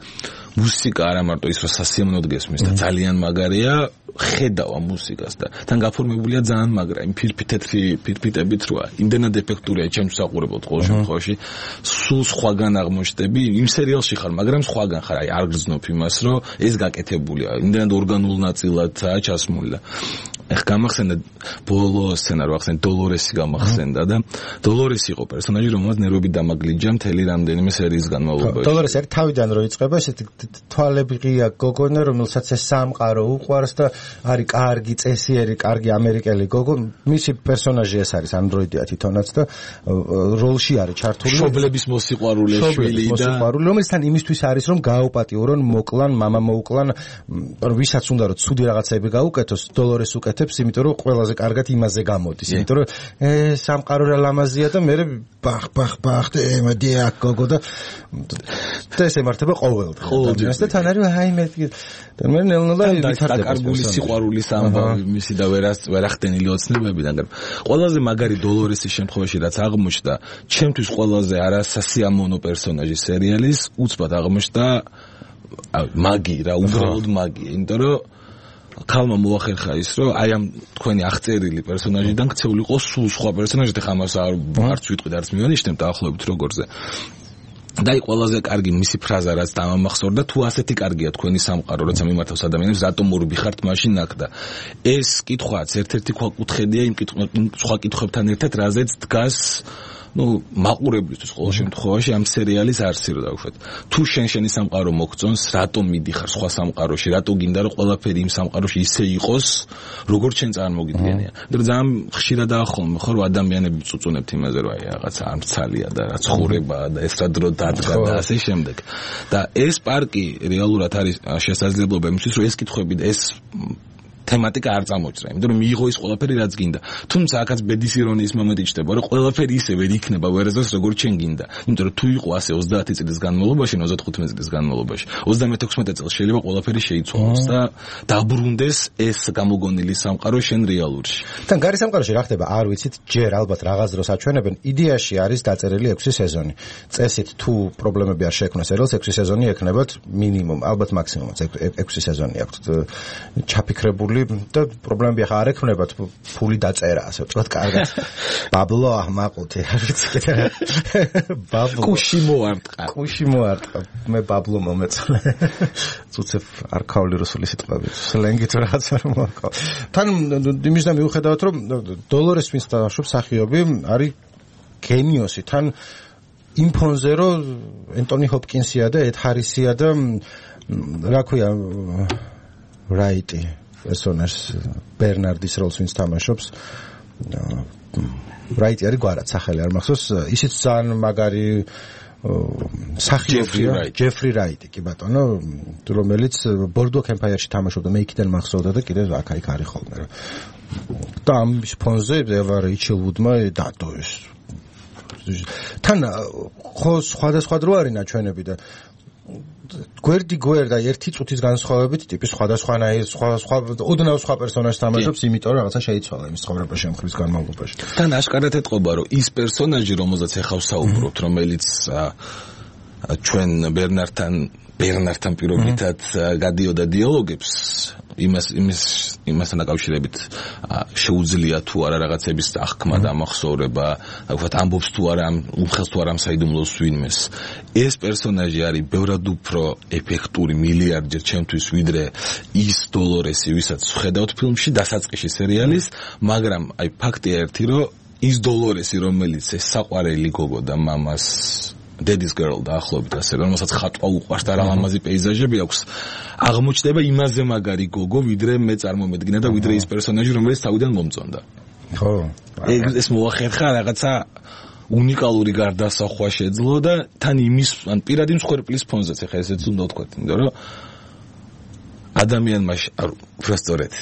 მუსიკა არა მარტო ის რომ სასიამოვნოდ გესმის და ძალიან მაგარია ხედავ ამ მუსიკას და თან გაფორმებულია ძალიან მაგრა იმ თეთრი ფირფიტებით როა იმდენად ეფექტურია ჩემს საყურებლად ყოველ შემთხვევაში სულ სხვაგან აღმოჩნდები იმ სერიალში ხარ მაგრამ სხვაგან ხარ აი არ გრძნობ იმას რომ ეს გაკეთებულია იმდენად ორგანულ ნაწილადაა ჩასმული და ეხ გამახსენდა ბოლო სცენა რო ახსენე დოლორესი გამახსენდა და დოლორესი იყო პერსონაჟი რომელსაც ნერვები დამაგლიჯა მთელი რამდენიმე სერიის განმავლობაში დოლორესი არის თავიდან რო იწყება ესეთი თვალები ღია გოგონა რომელსაც ეს სამყარო უყვარს და არის კარგი წესიერი კარგი ამერიკელი გოგო მისი პერსონაჟი ეს არის ანდროიდია თვითონაც და როლში არის ჩართული მშობლების მოსიყვარულე შვილი და რომელიც თან იმისთვის არის რომ გააუპატიურონ მოკლან მამა მოუკლან ვისაც უნდა რომ ცუდი რაღაცები გაუკეთოს დოლორეს უკეთებს იმიტომ რომ ყველაზე კარგად იმაზე გამოდის იმიტომ რომ სამყარო რა ლამაზია და მე ბახ და ემედია გოგო და ეს ემართება ყოველდღე და თან არის აი მე და მე ნელ-ნელა ვითარდება კარგული სიყვარულის ამბავი მისი და ვერახდენილი ოცნებებიდან ყველაზე მაგარი დოლორესის შემთხვევაში რაც აღმოჩნდა ჩემთვის ყველაზე არასასიამოვნო პერსონაჟი სერიალის უცბად აღმოჩნდა მაგი რა უბრალოდ მაგი იმიტომ რომ ქალმა მოახერხა ის რომ აი ამ თქვენი აღწერილი პერსონაჟიდან ქცეულიყო სულ სხვა პერსონაჟი და ხამას არც ვიტყვი და არც მივანიშნებ დაახლოებით როგორზე და აი ყველაზე კარგი მისი ფრაზა რაც დამამახსოვრდა თუ ასეთი კარგია თქვენი სამყარო როცა მიმართავს ადამიანებს რატომ მორბი ხართ მაშინ აქ და ეს კითხვაც ერთ-ერთი ქვაკუთხედია იმ სხვა კითხვებთან ერთად რაზეც დგას ну მაყურებლისთვის ყოველ შემთხვევაში ამ სერიალის არსი რო დავუშვათ თუ შენი სამყარო მოგწონს რატომ მიდიხარ სხვა სამყაროში რატო გინდა რომ ყველაფერი იმ სამყაროში ისე იყოს როგორც შენ წარმოგიდგენია და ძალიან ხშირად დაახოლმე ხო რომ ადამიანები წუწუნებთ იმაზე რომ აი რაღაცა არ მცალია და რა ცხოვრებაა და ეს რა დრო დადგა და ასე შემდეგ და ეს პარკი რეალურად არის შესაძლებლობა იმისთვის რომ ეს კითხვები და ეს თემატიკა არ წამოჭრა, იმიტომ რომ მიიღო ის ყველაფერი რაც გინდა. თუმცა აქაც ბედის ირონიის მომენტი ჩდება, რომ ყველაფერი ისე ვერ იქნება ვერასდროს როგორც შენ გინდა. იმიტომ რომ თუ იყო ასე 30 წლის განმავლობაში, 35 წლის განმავლობაში, 36 წელს შეიძლება ყველაფერი შეიცვალოს და დაბრუნდეს ეს გამოგონილი სამყარო შენ რეალურში. თან გარი სამყაროში რა ხდება? არ ვიცით, ჯერ ალბათ რაღაც დროს აჩვენებენ. იდეაში არის დაწერილი 6 სეზონი. წესით თუ პრობლემები არ შეექმნა სერიალს 6 სეზონი ექნებათ მინიმუმ, ალბათ მაქსიმუმ 6 სეზონი აქვს ჩაფიქრებული და პრობლემები ახლა არ ექნებათ, ფული დაწერა, ასე ვთქვათ, კარგად. ბაბლო აჰმაყუთი, არ ვიცი კიდე. ბაბლო. კუში მოარტყა. მე ბაბლო მომეწონა. წუცებ არქაული რუსული სიტყვები. სლენგით რაღაც არ მოაქვს. თან იმის და მიუხედავად რომ დოლორეს ვინც დაშვებს სახიობი არის გენიოსი, თან იმ ფონზე რომ ენტონი ჰოპკინსია და ედ ჰარისია და რა ქვია რაიტი პერსონაჟს ბერნარდის როლს ვინც თამაშობს რაიტი არის გვარად სახელი არ მახსოვს ისიც ძალიან მაგარი სახიობია ჯეფრი რაიტი კი ბატონო რომელიც ბორდუაკ ემპაიერში თამაშობდა მე იქიდან მახსოვდა და კიდევ აქ არის ხოლმე და ამის ფონზე ევარ იჩილვუდმა დადო ეს თან ხო სხვადასხვა დრო არის ნაჩვენები და გვერდა ერთი წუთის განსხვავებით ტიპი სხვადასხვანაირი სხვა ოდნავ სხვა პერსონაჟს თამაშობს იმიტომ რომ რაღაცა შეიცვალა იმის ცხოვრებაში ამ ხრის განმავლობაში თან აშკარად ეთყობა რომ ის პერსონაჟი რომელზეც ეხავ საუბრობთ რომელიც ჩვენ ბერნართან პირობითად გადიოდა დიალოგებს იმასთან დაკავშირებით შეუძლია თუ არა რაღაცების აღქმა და ამახსოვრება, ვთქვათ, ამბობს თუ არა, უხელს თუ არა საიდუმლოს ვინმეს. ეს პერსონაჟი არის ბევრად უფრო ეფექტური მილიარდჯერ ჩემთვის ვიდრე ის დოლორესი, ვისაც ვხედავთ ფილმში დასაწყისში სერიალის, მაგრამ აი ფაქტია ერთი, რომ ის დოლორესი, რომელიც ეს საყვარელი გოგო და მამას Daddy's Girl და ახლობით ასე რომელსაც ხატვა უყვარს და რა ლამაზი პეიზაჟები აქვს აღმოჩნდება იმაზე მაგარი გოგო ვიდრე მე წარმომედგინა და ვიდრე ის პერსონაჟი რომელიც თავიდან მომწონდა ხო ეს მოახერხა რაღაცა უნიკალური გარდასახვა შეძლო და თან იმის ან პირადი მსხვერპლის ფონზეც ეხა ესეც უნდა ვთქვათ იმიტომ რომ ადამიანმა უბრალოდ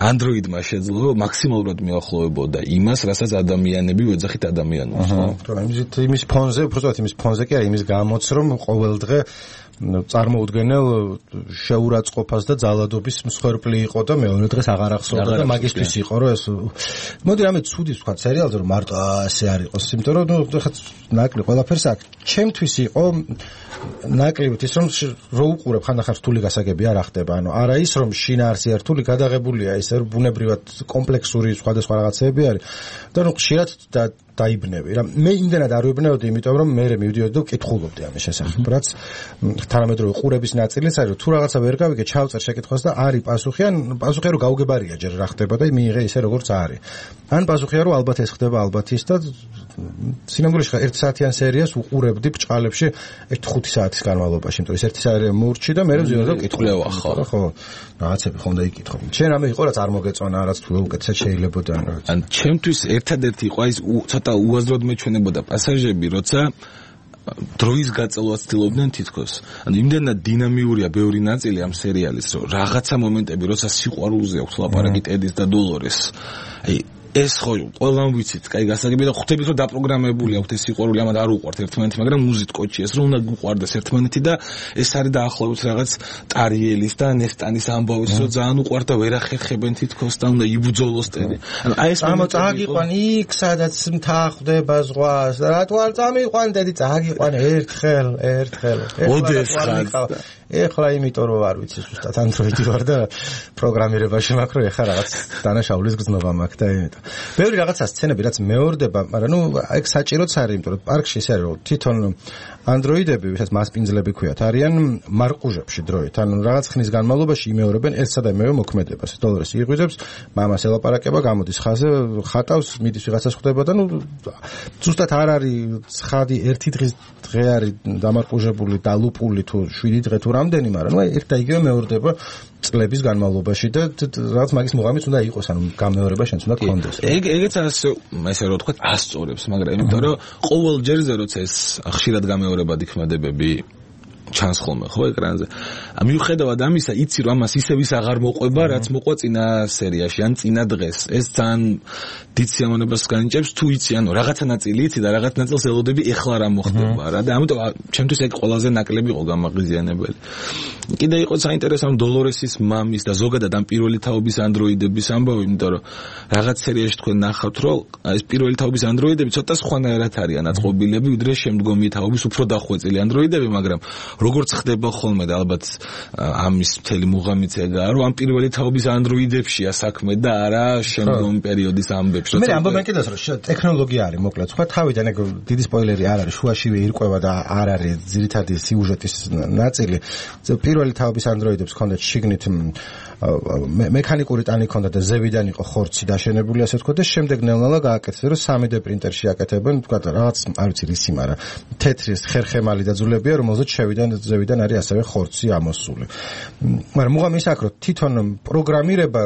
ანდროიდმა შეძლო მაქსიმალურად მიახლოვებოდა იმას, რასაც ადამიანები ვეძახით ადამიანებს, ხო? თორემ იმის ფონზე, უბრალოდ იმის ფონზე კი არის იმის გამოც რომ ყოველდღე წარმოუდგენელ შეურაცხყოფას და ძალადობის მსხვერპლი იყო და მეორე დღეს აღარ ახსოვდა და მაგისთვის იყო რომ ეს მოდი რამე ცუდი თქვა სერიალზე რომ მარტო ასე არ იყოს იმიტომ რომ ხა ნაკლი ყველაფერს აქ ჩემთვის იყო ნაკლებად ის რომ რო უყურებ ხანდახან რთული გასაგები არ ახდება ანუ არა ის რომ შინაარსი რთული გადაღებულია ის რომ ბუნებრივად კომპლექსური სხვადასხვა რაღაცები არის და ნუ ხშირად დაიბნები რა მე იმდენად არ ვიბნევდი იმიტომ რომ მე მივდიოდი და ვკითხულობდი ამის შესახებ რაც თანამედროვე ყურების ნაწილიც არის რომ თუ რაღაცა ვერ გავიგე ჩავწერ შეკითხვას და არის პასუხი ან პასუხია რომ გაუგებარია ჯერ რა ხდება და მიიღე ისე როგორც არის ან პასუხია რომ ალბათ ეს ხდება ალბათ ის და სინამდვილეში 1 საათიან სერიას უყურებდი ბჭყალებში 1-5 საათის განმავლობაში იმიტომ რომ 1 საათი მოურჩი და მე ვზიარდი და ვკითხულობ ხო რაღაცები ხომ და იკითხო შენ რამე იყო რაც არ მოგეწონა რაც თუ უკეთესად შეიძლებოდა ან ჩემთვის ერთადერთი იყო ის ცოტა უაზროდ მეჩვენებოდა პასაჟები როცა დროის გაწელვას ცდილობდნენ თითქოს. ანუ იმდენად დინამიურია ბევრი ნაწილი ამ სერიალის, რომ რაღაცა მომენტები, როცა სიყვარულზე აქვს ლაპარაკი ტედის და დოლორეს. აი ეს ხო ყველამ ვიცით, კაი გასაგები და ხვდებით რომ დაპროგრამებული აქვს ეს სიყვარული, ამათ არ უყვართ ერთმანეთი, მაგრამ მუზით კოჩი ეს რომ უნდა გუყვარდეს ერთმანეთი და ეს არის დაახლოებით რაღაც ტარიელის და ნესტანის ამბავის რომ ძალიან უყვართ და ვერ ახერხებენ თითქოს და უნდა იბრძოლოს ტედი. ანუ აი ეს წაგიყვან იქ სადაც მთა ხვდება ზღვას და რატო არ წამიყვან ტედი წაგიყვან ერთხელ. ეხლა იმიტომ რომ არ ვიცი ზუსტად ანდროიდი ვარ და პროგრამირებაში მაქვს რომ ეხლა რაღაც დანაშაულის გზნობა მაქვს და იმიტომ. ბევრი რაღაცა სცენები რაც მეორდება, მაგრამ ნუ ეგ საჭიროც არის, იმიტომ რომ პარკში ის არის რომ თვითონ ანდროიდები, ვისაც მასპინძლები ქვიათ, არიან მარყუჟებში დროით. ანუ რაღაც ხნის განმავლობაში იმეორებენ ერთსა და იმავე მოქმედებას. დოლორეს იღვიძებს, მამას ელაპარაკება, გამოდის ხაზზე, ხატავს, მიდის ვიღაცას ხვდება და ნუ ზუსტად არ არის ცხადი ერთი დღე არის დამარყუჟებული, დალუპული თუ 7 დღე თუ რამდენი, მაგრამ ნუ ერთ და იგივე მეორდება წლების განმავლობაში და რაღაც მაგის მუღამიც უნდა იყოს, ანუ გამეორება შენც უნდა გქონდეს. ეგეც ასე რომ ვთქვათ, ასწორებს, მაგრამ იმიტომ რომ ყოველ ჯერზე როცა ეს ხშირად გამეორებადი ქმედებები ჩანს ხოლმე ხო ეკრანზე. მიუხედავად ამისა, იცი რომ ამას ისევ ის აღარ მოყვება, რაც მოყვა წინა სერიაში ან წინა დღეს. ეს ძალიან დიდ სიამოვნებას განიჭებს თუ იცი, ანუ რაღაცა ნაწილი იცი და რაღაც ნაწილს ელოდები ეხლა რა მოხდება რა და ამიტომ ჩემთვის ეგ ყველაზე ნაკლები იყო გამაღიზიანებელი. კიდე იყო საინტერესო დოლორესის მამის და ზოგადად ამ პირველი თაობის ანდროიდების ამბავი, იმიტომ რომ რაღაც სერიაში თქვენ ნახავთ, რომ ეს პირველი თაობის ანდროიდები ცოტა სხვანაირად არიან აწყობილები, ვიდრე შემდგომი თაობის უფრო დახვეწილი ანდროიდები, მაგრამ როგორც ხდება ხოლმე და ალბათ ამის მთელი მუღამიც ეგაა, რომ ამ პირველი თაობის ანდროიდებშია საქმე და არა შემდგომი პერიოდის ამბებში. მე ამბობენ კიდევ რომ ტექნოლოგია არის, მოკლედ, სხვა თავიდან ეგ დიდი სპოილერი არ არის, შუაშივე ირკვევა და არ არის ძირითადი სიუჟეტის ნაწილი. პირველი თაობის ანდროიდებს ჰქონდათ შიგნით მექანიკური ტანი ჰქონდა და ზევიდან იყო ხორცი დაშენებული, ასე ვთქვათ, და შემდეგ ნელ-ნელა გააკეთეს, რომ 3D პრინტერში აკეთებენ, ვთქვათ, რაღაც, არ ვიცი რისი, მაგრამ თეთრი ხერხემალი დაძულებია, რომელზეც ზევიდან არის ასევე ხორცი ამოსული. მაგრამ მუღამი ის აქვს, რომ თვითონ პროგრამირება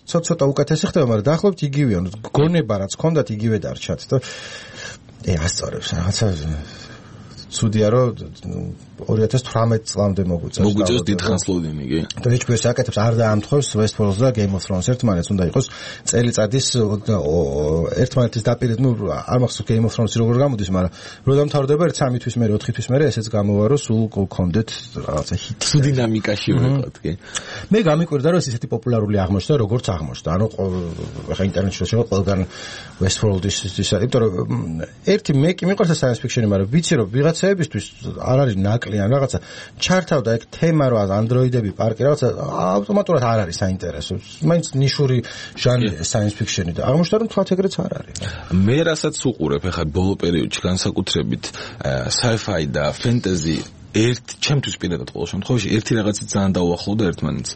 ცოტა უკეთესი ხდება, მაგრამ დაახლოებით იგივეა, გონება რაც ჰქონდათ იგივე დარჩათ და ასწორებს რაღაცა ცუდია რომ 2018 წლამდე მოგვიწევს დიდხანს ლოდინინგი. და HBO-ს აკეთებს არ დაამთხოვს Westworld და Game of Thrones ერთმანეთს უნდა იყოს წელიწადის ერთმანეთის დაპირება, ნუ არ მახსოვს Game of Thrones როგორ გამოდის, მაგრამ რო დამთავრდება 3 თვის მერე 4 თვის მერე ესეც გამოვა რომ სულ გქონდეთ რაღაცა ჰიტი. სულ დინამიკაში ვიყავთ, კი. მე გამიკვირდა რომ ესეთი პოპულარული აღმოჩნდა როგორც აღმოჩნდა. ანუ ხა ინტერნეტში შევა ყველგან Westworld-ის ის, იმიტომ რომ ერთი მე კი მიყვარს science fiction-ი, მაგრამ ვიცი რომ ვიღაცაებისთვის არ არის ნაკლი ან რაღაცა ჩართავდა ეგ თემა რა ანდროიდები პარკი რაღაცა ავტომატურად არ არის საინტერესო. მაინც ნიშური ჟანრია science fiction-ი და აღმოჩნდა რომ თქვათ ეგრეც არ არის. მე რასაც უყურებ ახლა ბოლო პერიოდში განსაკუთრებით sci-fi და fantasy ჩემთვის პირადად ყოველ შემთხვევაში ერთი რაღაცით ძალიან დაუახლოვდა ერთმანეთს.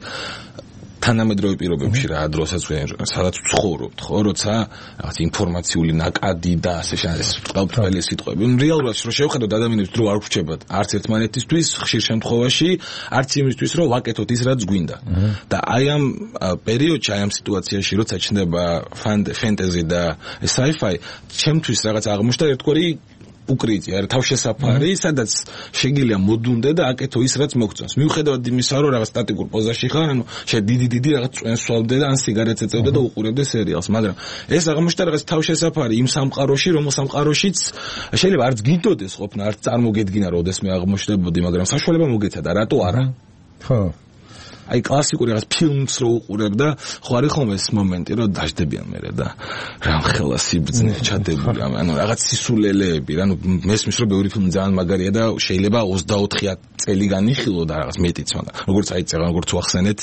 თანამედროვე პირობებში რა დროსაც სადაც ვცხოვრობთ, ხო, როცა რაღაც ინფორმაციული ნაკადი და ასე ყველაფერი სიტყვები. რეალურად რო შევხედოთ ადამიანებს დრო არ ვრჩებათ არც ერთმანეთისთვის, ხშირ შემთხვევაში არც იმისთვის რომ ვაკეთოთ ის რაც გვინდა. და აი ამ პერიოდში, აი ამ სიტუაციაში როცა ჩნდება fantasy და sci-fi, ჩემთვის რაღაც აღმოჩნდა ერთგვარი უკრიტია, თავშესაფარი, სადაც შეგიძლია მოდუნდე და აკეთო ის რაც მოგწონს. მიუხედავად იმისა, რომ რაღაც სტატიკურ პოზაში ხარ, ანუ დიდი რაღაც წვენს სვავდე და ან სიგარეტს ეწევდე და უყურებდე სერიალს, მაგრამ ეს აღმოჩნდა რაღაც თავშესაფარი იმ სამყაროში, რომელ სამყაროშიც შეიძლება არც გინდოდეს ყოფნა, არც წარმოგედგინა, როდესმე აღმოჩნდებოდი, მაგრამ საშუალება მოგეცადა, რატო არა? ხო. აი კლასიკური რაღაც ფილმს რო უყურებ და ხო არის ხოლმე ეს მომენტი რომ დაждდებიან მერე და რამხელა სიბრძნე ჩადებული ანუ რაღაც სისულელეები ანუ მესმის რომ ბევრი ფილმი ძალიან მაგარია და შეიძლება 24 წელი განიხილო და რაღაც მეტიც მაგრამ როგორც აი წეგან როგორც ვახსენეთ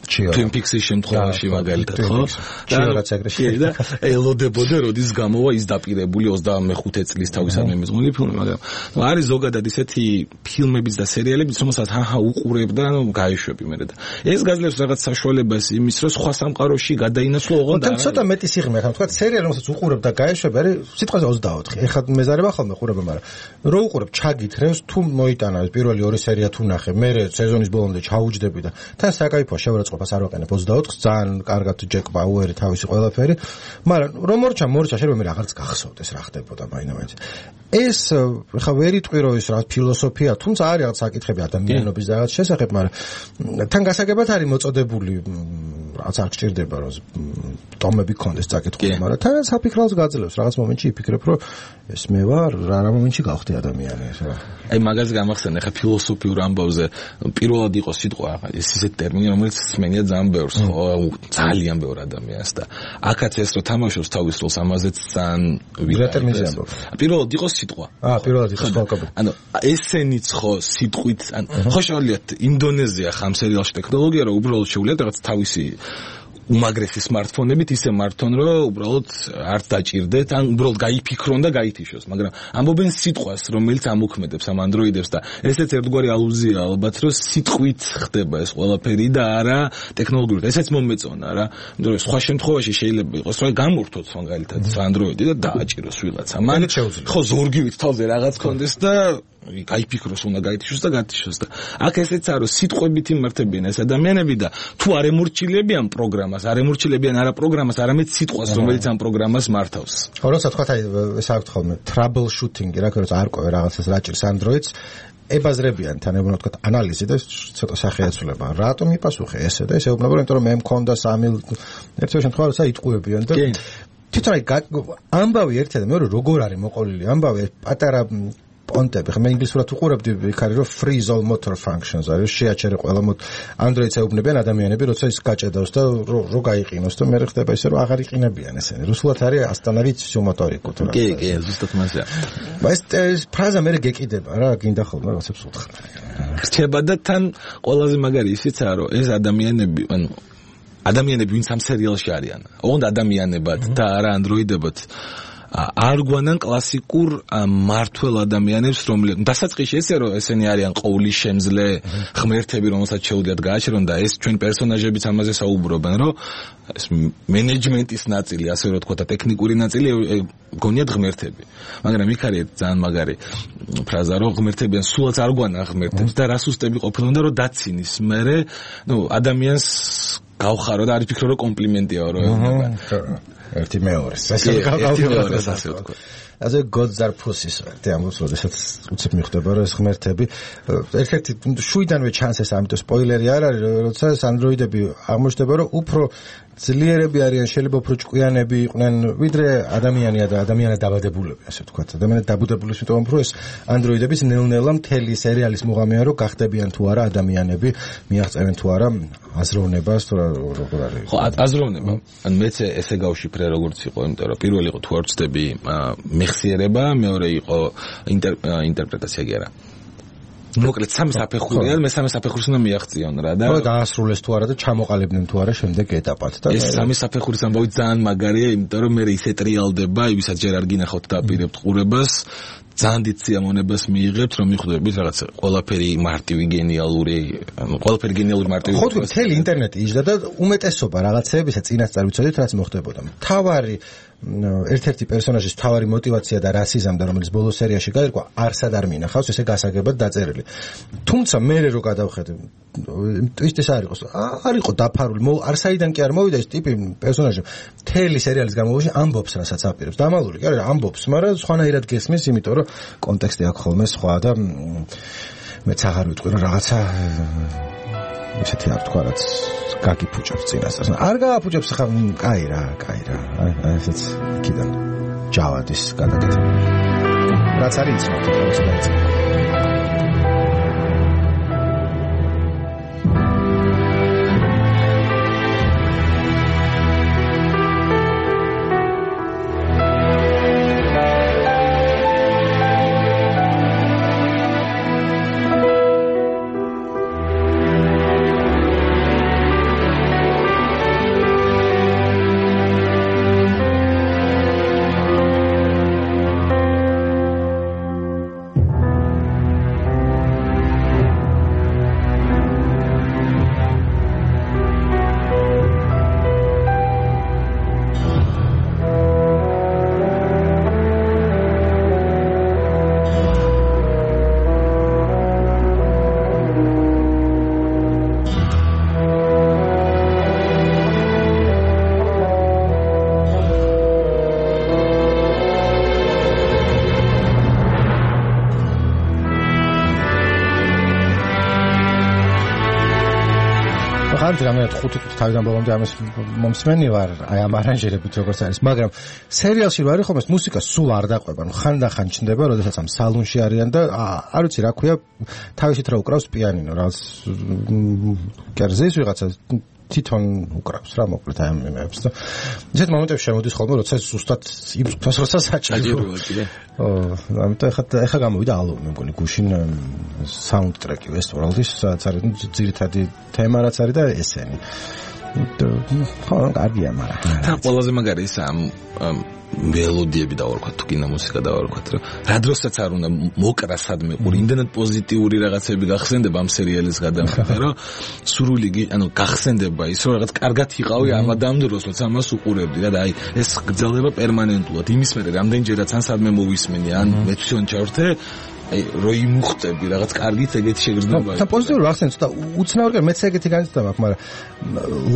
Twin Peaks-ის შემთხვევაში მაგალითად ხო ჩიორაც ეგრეში და ელოდებოდა როდის გამოვა ის დაპირებული 25 წლის თავისამე მეზღველი ფილმი მაგრამ არის ზოგადად ისეთი ფილმებიც და სერიალებიც რომელსაც უყურებ და გაიშვები მერე და ეს გაძლევს რაღაც საშუალებას იმის რომ სხვა სამყაროში გადაინაცვლო ოღონდ და ცოტა მეტი სიღრმე ხა თქვა სერიალი რომელსაც უყურებ და გაიშვები არის სიტყვაზე 24 ეხლა მეზარება ხოლმე ხურება მაგრამ რო უყურებ ჩაგითხრევს თუ მოიტანა პირველი 2 სერია თუ ნახე მერე სეზონის ბოლომდე ჩაუჯდები და თან საკაიფო შევრაცხყოფას არ ვაკეთებ 24-ს ძალიან კარგად ჯეკ ბაუერი თავისი ყველაფერი მაგრამ რომ მორჩა შეიძლება მე რაღაცა გახსოვდეს რა ხდებოდა მაინც ეს ხა ვერ იტყვი რომ ის რა ფილოსოფია თუმცა არის რაღაც საკითხები ადამიანობის და რაღაც შესახებ მაგრამ თან გასაგებად არის მოწოდებული რაღაც არ გჭირდება რომ ტომები კონდეს წაკითხული მაგრამ თან საფიქრავს გაძლევს რაღაც მომენტში იფიქრებ რომ ეს მე ვარ რა მომენტში გავხდი ადამიანი რა აი მაგაზე გამახსენე ხა ფილოსოფიურ ამბავზე პირველად იყო სიტყვა ეს ისეთი ტერმინი რომელიც სმენია ძალიან ბევრს ხო ძალიან ბევრ ადამიანს და აქაც ეს რო თამაშობს თავის როლს ამაზეც ძალიან ვირატერმინზე ამბობ პირველად იყო სიტყვა პირველად იყო სიტყვა ანუ ესენიც ხო სიტყვით ან ხო შევლიათ ინდონეზია ხამ სერიალში ტექნოლოგია რომ უბრალოდ შევლიათ რაღაც თავისი უმაგრესი smartphone-ებით ისე მართონ რომ უბრალოდ არ დაჭirdეთ ან უბრალოდ გაიფიქრონ და გაითიშოს მაგრამ ამბობენ სიტყვას რომელიც ამოქმედებს ამ Android-ებს და ესეც ერთგვარი ალუზია ალბათ რომ სიტყვით ხდება ეს ყველაფერი და არა ტექნოლოგიურად ესეც მომეწონა რა იმიტომ რომ სხვა შემთხვევაში შეიძლება იყოს რომ გამურთოთ მაგალითად Android-ი და დააჭიროს ვიღაცა მან ხო ზორგივით თავზე რაღაც კონდეს და გაიფიქროს უნდა გაითიშოს და გათიშოს და აქ ესეც არის სიტყვებით იმართებიან ეს ადამიანები და თუ არ ემორჩილებიან პროგრამას არ ემორჩილებიან არა პროგრამას არამედ სიტყვას რომელიც ამ პროგრამას მართავს როცა თქვა ეს აქვს ხოლმე trouble shooting რა ქორწ არ ყვე რაღაცას რა ჭირს Android-ს ებაზრებიან თან ეუბნება თქვა ანალიზი და ცოტა სახეაცვლება. რატომ იპასუხე ესე და ესე ეუბნება, იმიტომ რომ მე მქონდა 3 ერთ შემთხვევაში იტყუებიან და თვითონ ამბავი ერთად და მეორე როგორ არის მოყოლილი ამბავი პატარა პონტები. ხა მე ინგლისურად უყურებდი იქ არის რომ freeze all motor functions არის შეაჩერე ყველა Android-ს ეუბნებიან ადამიანები როცა ის გაჭედავს და რო გაიყინოს და მე ხდება ისე რომ აღარ იყინებიან ესენი. რუსულად არის остановить всю моторику. კი, ზუსტად მასია. ეს ფრაზა მე გეკიდება რა, გინდა ხოლმე რაღაცებს უთხრა. რჩება და თან ყველაზე მაგარი ისიცაა რომ ეს ადამიანები ადამიანები ვინც ამ სერიალში არიან. ოღონდ ადამიანებად და არა ანდროიდებად არ გვანან კლასიკურ მართლ ადამიანებს, რომლებიც დასაწყისში ესე რომ ესენი არიან ყოვლის შემძლე ღმერთები, რომელსაც შეუძლიათ გააჩერონ და ეს ჩვენ პერსონაჟებიც ამაზე საუბრობენ, რომ ეს მენეჯმენტის ნაწილი, ასე რომ თქვა და ტექნიკური ნაწილი გონიათ ღმერთები. მაგრამ იქ არის ძალიან მაგარი ფრაზა, რომ ღმერთებიან სულაც არ გვანა ღმერთებს და რა სუსტები ყოფილონ და რომ დაცინის. მერე, ადამიანს გავხარო და არ ფიქრო რომ კომპლიმენტია რომ ეუბნება. ერთი მეორეს. ასე ვთქვა. ასე გოძარფუსის ვართ ამბობს, როდესაც უცებ მიხვდება რომ ეს ღმერთები ერთ-ერთი შუიდანვე ჩანსეს, ამიტომ სპოილერი არ არის, როდესაც ანდროიდები აღმოჩნდება რომ უფრო ძლიერები არიან, შეიძლება უფრო ჭკვიანები იყვნენ, ვიდრე ადამიანია და ადამიანად დაბადებულები, ასე ვთქვათ. ადამიანად დაბადებული, იმიტომ რომ ეს ანდროიდების ნელ-ნელა მთელი სერიალის მუღამია რომ გახდებიან თუ არა ადამიანები, მიაღწევენ თუ არა აზროვნებას, თუ როგორ არის. ხო, აზროვნება. ან მეც ესე გავშიფრე როგორც იყო, იმიტომ რომ პირველი იყო თუ არ ვწდები მეხსიერება, მეორე იყო ინტერპრეტაცია კი არა. მოკლედ სამი საფეხური არის, მესამე საფეხურს უნდა მიაღწიონ რა და დაასრულეს თუ არა და ჩამოყალიბდნენ თუ არა შემდეგ ეტაპად და ეს სამი საფეხურის ამბავი ძალიან მაგარია, იმიტომ რომ მე ისე ტრიალდება, ვისაც ჯერ არ გინახავთ დაპირებთ ყურებას, ძალიან დიდ სიამოვნებას მიიღებთ, რომ მიხვდებით რაღაც ყველაფერი მარტივი გენიალური, ყველაფერი გენიალური მარტივი. ხო, მთელი ინტერნეტი იჯდა და უმეტესობა რაღაცეებისა წინასწარ ვიცოდით, რაც მოხდებოდა. თავარი ერთ-ერთი პერსონაჟის თავარი мотиваცია და რასიზმდა, რომელიც ბოლო სერიაში გაირკვა, არსად არ მინახავს, ესე გასაგებად დაწერილი. თუმცა მე რო გადავხედე, ტვისტის არ იყო დაფარული, არ საიდან კი არ მოვიდა ეს ტიპი პერსონაჟი. მთელი სერიალის განმავლობაში ამბობს, რასაც აპირებს. დამალული კი არა, ამბობს, მაგრამ სხვანაირად გესმის, იმიტომ რომ კონტექსტი აქვს ხოლმე სხვა და მეც აღარ ვიტყვი რომ რაღაცა ისეთი არ თქვა რაც გაგიფუჭებს წინასწარ. არ გააფუჭებს ხა, კაი რა. ესეც იქიდან ჯავადის გადაკეთება. რაც არის იცნობთ, რაც დაიწყო. რამე 5 წუთი თავიდან ბოლომდე ამას მომსმენი ვარ, აი ამ არანჟირებით როგორც არის, მაგრამ სერიალში რო არის ხომ ეს მუსიკა სულ არ დაყვება, ხანდახან ჩნდება, როდესაც ამ სალონში არიან და არ ვიცი რა ქვია, თავისით რა უკრავს პიანინო, რაღაც კერძის ვიღაცა თვითონ უკრავს რა, მოკლედ აი ამ იმებს და ისეთ მომენტებში შემოდის ხოლმე, როცა ზუსტად იმ წუთას როცა საჭიროა კიდე. ამიტომ ეხა გამოვიდა ალბომი, მე მგონი გუშინ საუნდტრეკი ვესტვალდის, სადაც არის ძირითადი თემა რაც არის და ესენი. ხო, კარგია, მაგრამ თან ყველაზე მაგარი ის ამ მელოდიები დავარქვათ, თუ კინომუსიკა დავარქვათ, რომ რა დროსაც არ უნდა მოკრა სადმე ყური, იმდენად პოზიტიური რაღაცები გახსენდება ამ სერიალის გადამხდა, რომ სრული გახსენდება ის, რომ რაღაც კარგად იყავი ამ ადამიანს, როცა ამას უყურებდი და აი ეს გრძელდება პერმანენტულად. იმის მერე რამდენჯერაც ან სადმე მოვისმენი, ან მეცვიონ ჩავრთე, აი რო იმუხტები რაღაც კარგით ეგეთი შეგრძნება. თან პოზიტიური ახსენე და უცნაური მეც ეგეთი განცდა მაქვს, მაგრამ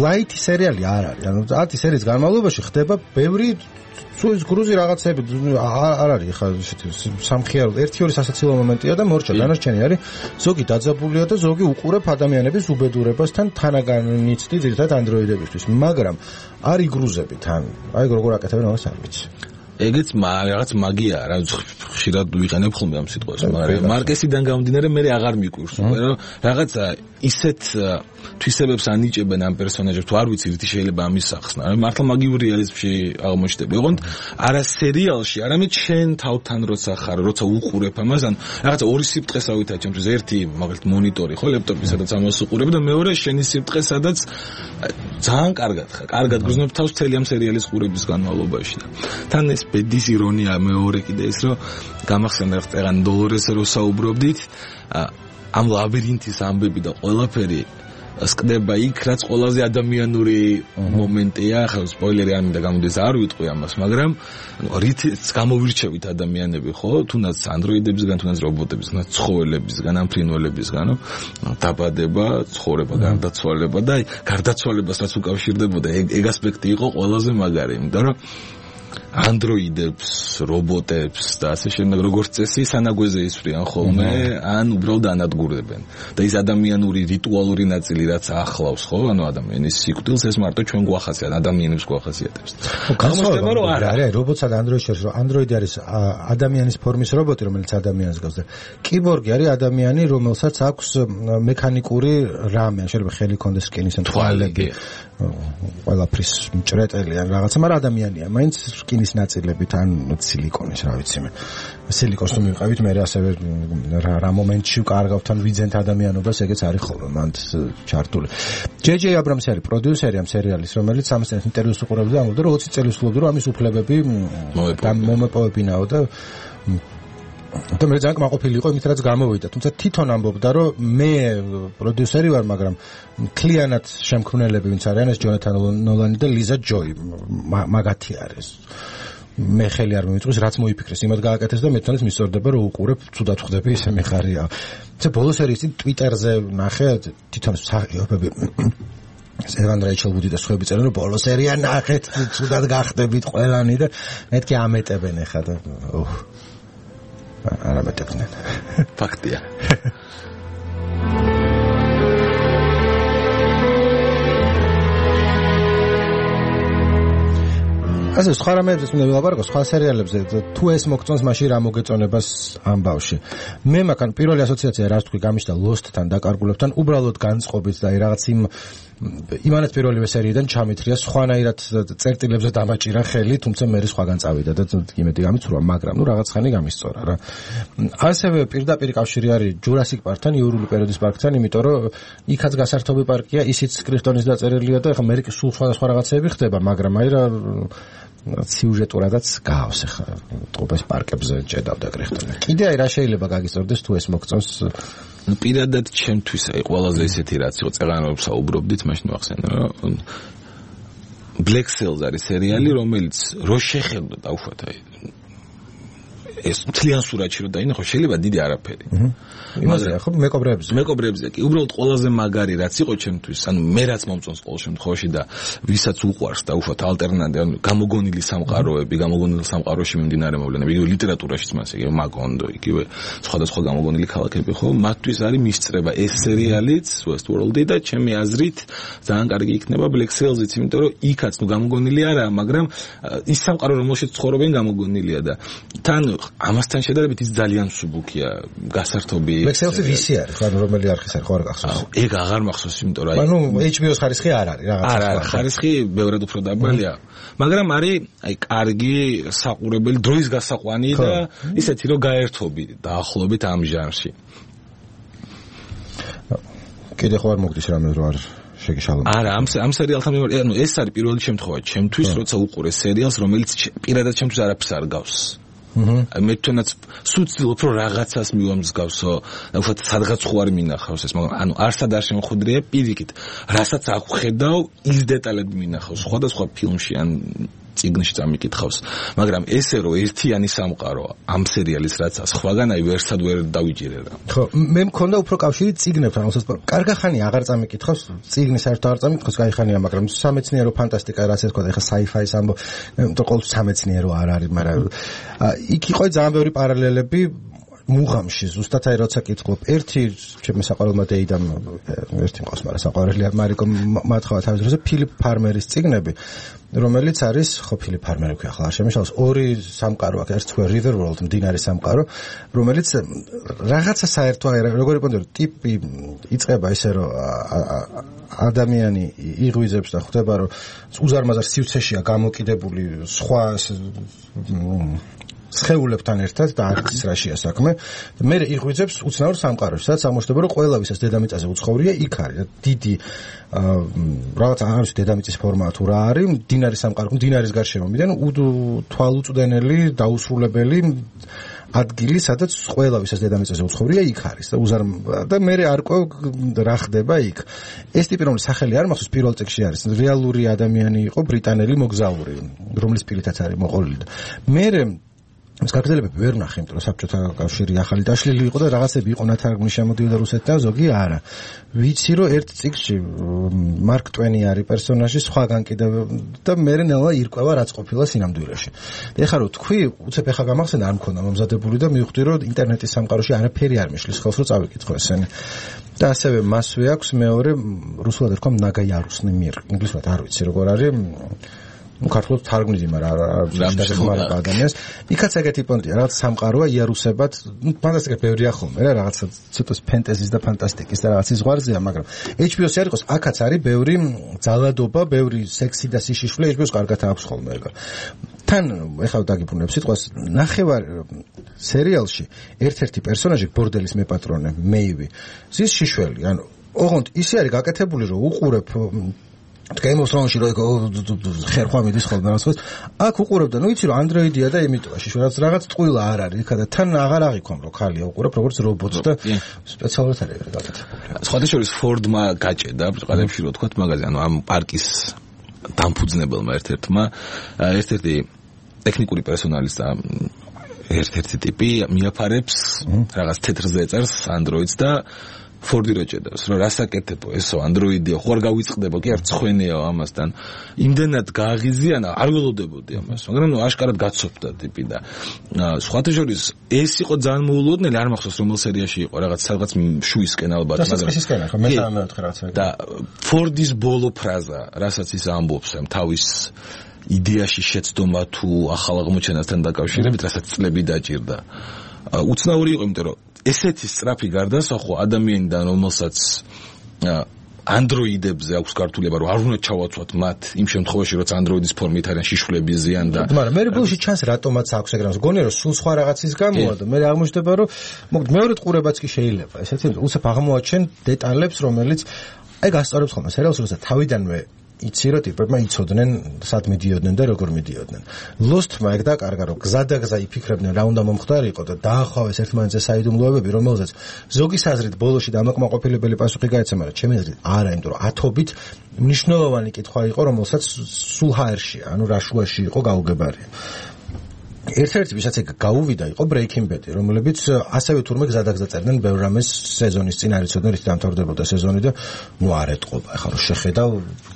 ლაითი სერიალი არ არის. ანუ 10 სერიის განმავლობაში ხდება ბევრი სუის გრუზი რაღაცები არ არის ხა სამხიარო 1-2 სასაცილო მომენტია და მორჩა დანარჩენი არის ზოგი დაძაბულია და ზოგი უყურებ ადამიანების უბედურებასთან თანაგანიცდი ძირითადად ანდროიდებისთვის მაგრამ არ იგრუზები თან აი როგორ აკეთებენ ამას არ ვიცი ეგეც რაღაც მაგია რა ხშირად ვიყენებ ხოლმე ამ სიტყვას მაგრამ მარკესიდან გამომდინარე მე აღარ მიკვირს უკვე რომ რაღაცა ისეთ თვისებებს ანიჭებენ ამ პერსონაჟებს თუ არ ვიცი რითი შეიძლება ამის სახსნა მართლა მაგიურ რეალიზმში აღმოჩნდება ოღონდ არა სერიალში არამედ შენ თავთან როცა ხარ როცა უყურებ ამას ან რაღაცა ორი სიბრტყესავითაა ჩემთვის ერთი მაგალითად მონიტორი ხო ლეპტოპი სადაც ამას უყურებ და მეორე შენი სიბრტყე სადაც ძალიან კარგად გრძნობ თავს მთელი ამ სერიალის ყურების განმავლობაში და თან ეს ბედის ირონია მეორე კიდე ის რომ გამახსენდა ხტეგან დოლორესზე რო საუბრობდით ამ ლაბირინთის ამბები და ყველაფერი სკდება იქ რაც ყველაზე ადამიანური მომენტია ხა სპოილერი არ მინდა გამოდის არ ვიტყვი ამას მაგრამ რითიც გამოვირჩევით ადამიანები ხო თუნდაც ანდროიდებისგან თუნდაც რობოტებისგან ცხოველებისგან ამ ფრინველებისგან დაბადება ცხოვრება გარდაცვალება და გარდაცვალებას რაც უკავშირდებოდა ეგ ასპექტი იყო ყველაზე მაგარი იმიტომ რომ ანდროიდებს, რობოტებს და ასე შემდეგ როგორც წესი სანაგვეზე ისვრიან ხოლმე, ან უბრალოდ ანადგურებენ. და ის ადამიანური რიტუალური ნაწილი რაც ახლავს, ხო, ანუ ადამიანის სიკვდილს ეს მარტო ჩვენ გვახასიათებს, ადამიანებს გვახასიათებს. გამოსდება რომ არა, რობოტსა და ანდროიდს შორის, რომ ანდროიდი არის ადამიანის ფორმის რობოტი, რომელიც ადამიანს გავს და კიბორგი არის ადამიანი, რომელსაც აქვს მექანიკური რამე, შეიძლება ხელი კონდეს, სკინის ან თვალები. ყველაფრის მჭრეტელი ან რაღაცა, მაგრამ ადამიანია, მაინც სკინის ნაწილებით ან სილიკონის, რა ვიცი მე. სილიკონს თუ მივყავით, მე ასევე რა მომენტში ვკარგავთ ან ვიძენთ ადამიანობას, ეგეც არის ხოლმე მანდ ჩართული. ჯეჯეი აბრამსი არის პროდიუსერი ამ სერიალის, რომელიც ამას ინტერვიუს უყურებდა და ამბობდა, რომ 20 წელი ვსულობდა, რომ ამის უფლებები მომეპოვებინაო და და მე ძალიან კმაყოფილი იყო იმით რაც გამოვიდა. თუმცა თვითონ ამბობდა, რომ მე პროდიუსერი ვარ, მაგრამ მთლიანად შემქმნელები ვინც არიან, ეს ჯონათან ნოლანი და ლიზა ჯოი მაგათი არის. მე ხელი არ მომიწვის, რაც მოიფიქრეს, იმად გააკეთეს და მე თვითონაც მისწორდება, რომ უყურებ, თუდად ხვდები, ისე მე ხარია. თუმცა ბოლო სერიის წინ ტვიტერზე ნახე თვითონ მსახიობები სევან რაიჩელვუდი და სხვაები წერენ, რომ ბოლო სერია ნახეთ, თუდად გახდებით ყველანი და მეთქი ამეტებენ ეხა და არ ამეტებდნენ. ფაქტია. ასე სხვა რამეებზე მინდა ვილაპარაკო, სხვა სერიალებზე თუ ეს მოგწონს, მაშინ რა მოგეწონებას ამ ბავში. მე მაგან პირველი ასოციაცია რაც თქვი გამიშდა Lost-თან დაკარგულებთან, უბრალოდ განწყობით და რაღაც იმანაც პირველივე სერიიდან ჩამithრია, სხვანაირად წერტილებზე დამაჭირა ხელი, თუმცა მე სხვაგან წავიდა და იმედი გამიცურვა, მაგრამ ნუ რაღაც ხანი გამისწორა რა. ასევე პირდაპირ კავშირი არის Jurassic Park-თან, იურული პერიოდის პარკთან, იმიტომ რომ იქაც გასართობი პარკია, ისიც კრიფტონის დაწერილია და ეხლა მე სულ სხვადასხვა რაღაცები ხდება, მაგრამ აი რა სიუჟეტურადაც გავს ახლა ტყუპეს პარკებზე ჭედავდა კრიფტონი. კიდე აი რა შეიძლება გაგისწორდეს თუ ეს მოგწონს? ნუ პირადად ჩემთვის აი ყველაზე ისეთი რაც იყო წეღანებს საუბრობდით, მაშინ ვახსენე რომ Black Sails არის სერიალი, რომელიც რო შეხედო დავუშვათ აი ეს მთლიან სურათში რო დაინახო, შეიძლება დიდი არაფერი. იმაზე ხო მეკობრებზე კი უბრალოდ ყველაზე მაგარი რაც იყო ჩემთვის, ანუ მე რაც მომწონს ყოველ შემთხვევაში და ვისაც უყვარს დაუშვათ ალტერნატივი, ანუ გამოგონილი სამყაროები, გამოგონილი სამყაროში მიმდინარე მოვლენები, იგივე ლიტერატურაშიც მას, იგივე მაგონდო, იგივე სხვადასხვა გამოგონილი ქალაქები ხო, მათთვის არის მისწრება ეს სერიალიც, Westworld-ი და ჩემი აზრით ძალიან კარგი იქნება Black Sails-იც, იმიტომ რომ იქაც ნუ გამოგონილი არაა, მაგრამ ის სამყარო რომელშიც ცხოვრობენ გამოგონილია და თან ამასთან შედარებით ის ძალიან მსუბუქია, გასართობი. Black Sails-ი ვისი არის, ანუ რომელი არხის არის, ხო არ გახსოვს? ეგ აღარ მახსოვს, იმიტომ რომ ანუ HBO-ს ხარისხი არ არის, რაღაცა. არა, ხარისხი ბევრად უფრო დაბალია. მაგრამ არის აი კარგი საყურებელი დროის გასაყვანი და ისეთი რომ გაერთობი დაახლოებით ამ ჟანრში. კიდე ხო არ მოგდის რამე რომ არ შეგიშალო. არა, ამ სერიალთან ანუ ეს არის პირველი შემთხვევა ჩემთვის, როცა უყურე სერიალს, რომელიც პირადად ჩემთვის არაფერს არ გავს. მე თვითონაც სუცილობ რომ რაღაცას მივამსგავსო, უბრალოდ სადღაც ხო არ მინახავს ეს, მაგრამ ანუ არსად არ შემოხვდრია პირიქით, რასაც აღვხედავ, ის დეტალები მინახავს სხვადასხვა ფილმში ან წიგნში წამიკითხავს, მაგრამ ესე რომ ერთიანი სამყარო ამ სერიალის რაც სხვაგან აი ვერსად ვერ დავიჭირე რა. ხო, მე მქონდა უფრო კავშირი წიგნებთან, რასაც კარგახანი აღარ წამიკითხავს, წიგნი საერთოდ აღარ წამიკითხავს, кайხანია, მაგრამ სამეცნიერო ფანტასტიკა რაც ეს თქვა, ეხლა sci-fi-ის ამბო, ყოველთვის სამეცნიერო არ არის, მაგრამ იქ იყო ძალიან ბევრი პარალელები მუღამში, ზუსტად აი როცა კითხულობ, ერთი ჩემი საყვარელმა დეიდამ ერთი მყავს, მაგრამ საყვარელი მარიკო მათხოვა თავის დროზე ფილიპ ფარმერის წიგნები, რომელიც არის, ხო ფილიპ ფარმერი ქვია, ახლა არ შემიშალოს, ორი სამყარო აქვს, ერთს ქვია River World, მდინარის სამყარო, რომელიც რაღაცა საერთო როგორი პონდო ტიპი იწყება ისე რომ ადამიანი იღვიძებს და ხვდება რომ უზარმაზარ სივრცეშია გამოკიდებული სხვა სხეულებთან ერთად და არც რაშია საქმე. მე იღვიძებს უცნაურ სამყაროში, სადაც ამოშთება რომ ყველა ვისაც დედამიწაზე უცხოვრია, იქ არის დიდი რაღაც არის დედამიწის ფორმა თუ რა არის, მდინარის სამყარო, მდინარის გარშემოდან თვალუწვდენელი, დაუსრულებელი ადგილი, სადაც ყველა ვისაც დედამიწაზე უცხოვრია, იქ არის და მე არ ყვევ რა ხდება იქ. ეს ტიპი რომლის სახელი არ მახსოვს პირველ წიგნში არის, რეალური ადამიანი იყო, ბრიტანელი მოგზაური, რომლის პირითაც არის მოყოლილი. მე ეს კაპიტალებები ვერ ვნახე, იმიტომ რომ საბჭოთა კავშირი ახალი დაშლილი იყო და რაღაცები იყო ნათარგმნი შემოდიოდა რუსეთთან, ზოგი არა. ვიცი რომ ერთ წიგნში მარკ ტვენი არის პერსონაჟი, სხვაგან კიდევ და მე ნელა ირკვევა რაც ყოფილა სინამდვილეში. ეხლა რომ თქვი, უცებ ეხლა გამახსენდა არ მქონდა მომზადებული და მივხვდი რომ ინტერნეტის სამყაროში არაფერი არ მიშლის ხელს რომ წავიკითხო ესენი. და ასევე მასვე აქვს მეორე რუსულად ერქვა ნაგაიარუსნი მირ. ინგლისურად არ ვიცი როგორ არის. ქართულად თარგმნიდი, მაგრამ არ ადამიანს. იქაც ეგეთი პონტია, რაღაც სამყაროა იარუსებად, ფანტასტიკა ბევრია ხოლმე რა, რაღაცა ცოტა ფენტეზის და ფანტასტიკის და რაღაცის ზღვარზეა, მაგრამ HBO-ს არ იყოს, აქაც არის ბევრი ძალადობა, ბევრი სექსი და სიშიშვლე, HBO-ს კარგად აქვს ხოლმე ეგ. თან ეხლა დაგიბრუნებ სიტყვას, ნახევარ სერიალში ერთ-ერთი პერსონაჟი ბორდელის მეპატრონე, მეივი, ზის შიშველი, ანუ ოღონდ ისე არის გაკეთებული, რომ უყურებ Game of Thrones-ში რო ხერხვა მიდის ხოლმე რაღაც. აქ უყურებდა, ну იცი რომ ანდროიდია და იმიტომა შიშველი რაღაც ტყუილა არ არის, იქა და თან აღარ აღიქვამ რომ ხალია უყურებ როგორც რობოტს და სპეციალურად არის გაკეთებული. სხვათა შორის ფორდმა გაჭედა ყალებში რო თქვა მაგაზე, ანუ ამ პარკის დამფუძნებელმა ერთ-ერთმა ერთ-ერთი ტექნიკური პერსონალის და ერთ-ერთი ტიპი მიაფარებს რაღაც თეთრზე ეწერს ანდროიდს და ფორდი რო ჭედავს, რომ რასაკეთებო ესო ანდროიდია, ხო არ გავიწყდება, კი არ ცხვენეო ამასთან. იმდენად გააღიზიანა, არ ველოდებოდი ამას, მაგრამ ნუ აშკარად გაცოფდა ტიპი და სხვათა შორის ეს იყო ძალიან მოულოდნელი, არ მახსოვს რომელ სერიაში იყო, რაღაც სადღაც შუისკენ ალბათ, მაგრამ ხო მე-14 რაღაც ეგ. და ფორდის ბოლო ფრაზა, რასაც ის ამბობს ამ თავის იდეაში შეცდომა თუ ახალ აღმოჩენასთან დაკავშირებით, რასაც წლები დაჭირდა. უცნაური იყო, იმიტომ რომ ესეთი სწრაფი გარდასახვა ადამიანიდან, რომელსაც ანდროიდებზე აქვს გართულება, რომ არ უნდა ჩავაცვათ მათ იმ შემთხვევაში, როცა ანდროიდის ფორმით არიან შიშვლები ზიან და მაგრამ მე ბოლოში ჩანს რატომაც აქვს ეგ რამს. გონია რომ სულ სხვა რაღაცის გამოა და მე აღმოჩნდება რომ მოკლედ მეორე ყურებაც კი შეიძლება. ესეთი უცებ აღმოაჩენ დეტალებს, რომელიც აი გასწორებს ხოლმე სერიალს, როცა თავიდანვე იცი რომ ტიპებმა იცოდნენ სად მიდიოდნენ და როგორ მიდიოდნენ. Lost-მა ეგ დაკარგა რომ გზადაგზა იფიქრებდნენ რა უნდა მომხდარიყო და დაახავეს ერთმანეთზე საიდუმლოებები, რომელზეც ზოგის აზრით ბოლოში დამაკმაყოფილებელი პასუხი გაეცა, მაგრამ ჩემი აზრით არა, იმიტომ რომ ათობით მნიშვნელოვანი კითხვა იყო, რომელსაც სულ ჰაერში, ანუ რაშუაში იყო გაუგებარი. ერთ-ერთი ვისაც ეგ გაუვიდა იყო Breaking Bad, რომლებიც ასევე თურმე გზადაგზა წერდნენ ბევრ რამეს სეზონის წინ არ იცოდნენ რითი დამთავრდებოდა სეზონი და ნუ არ ეტყობა. ეხლა რომ შეხედავ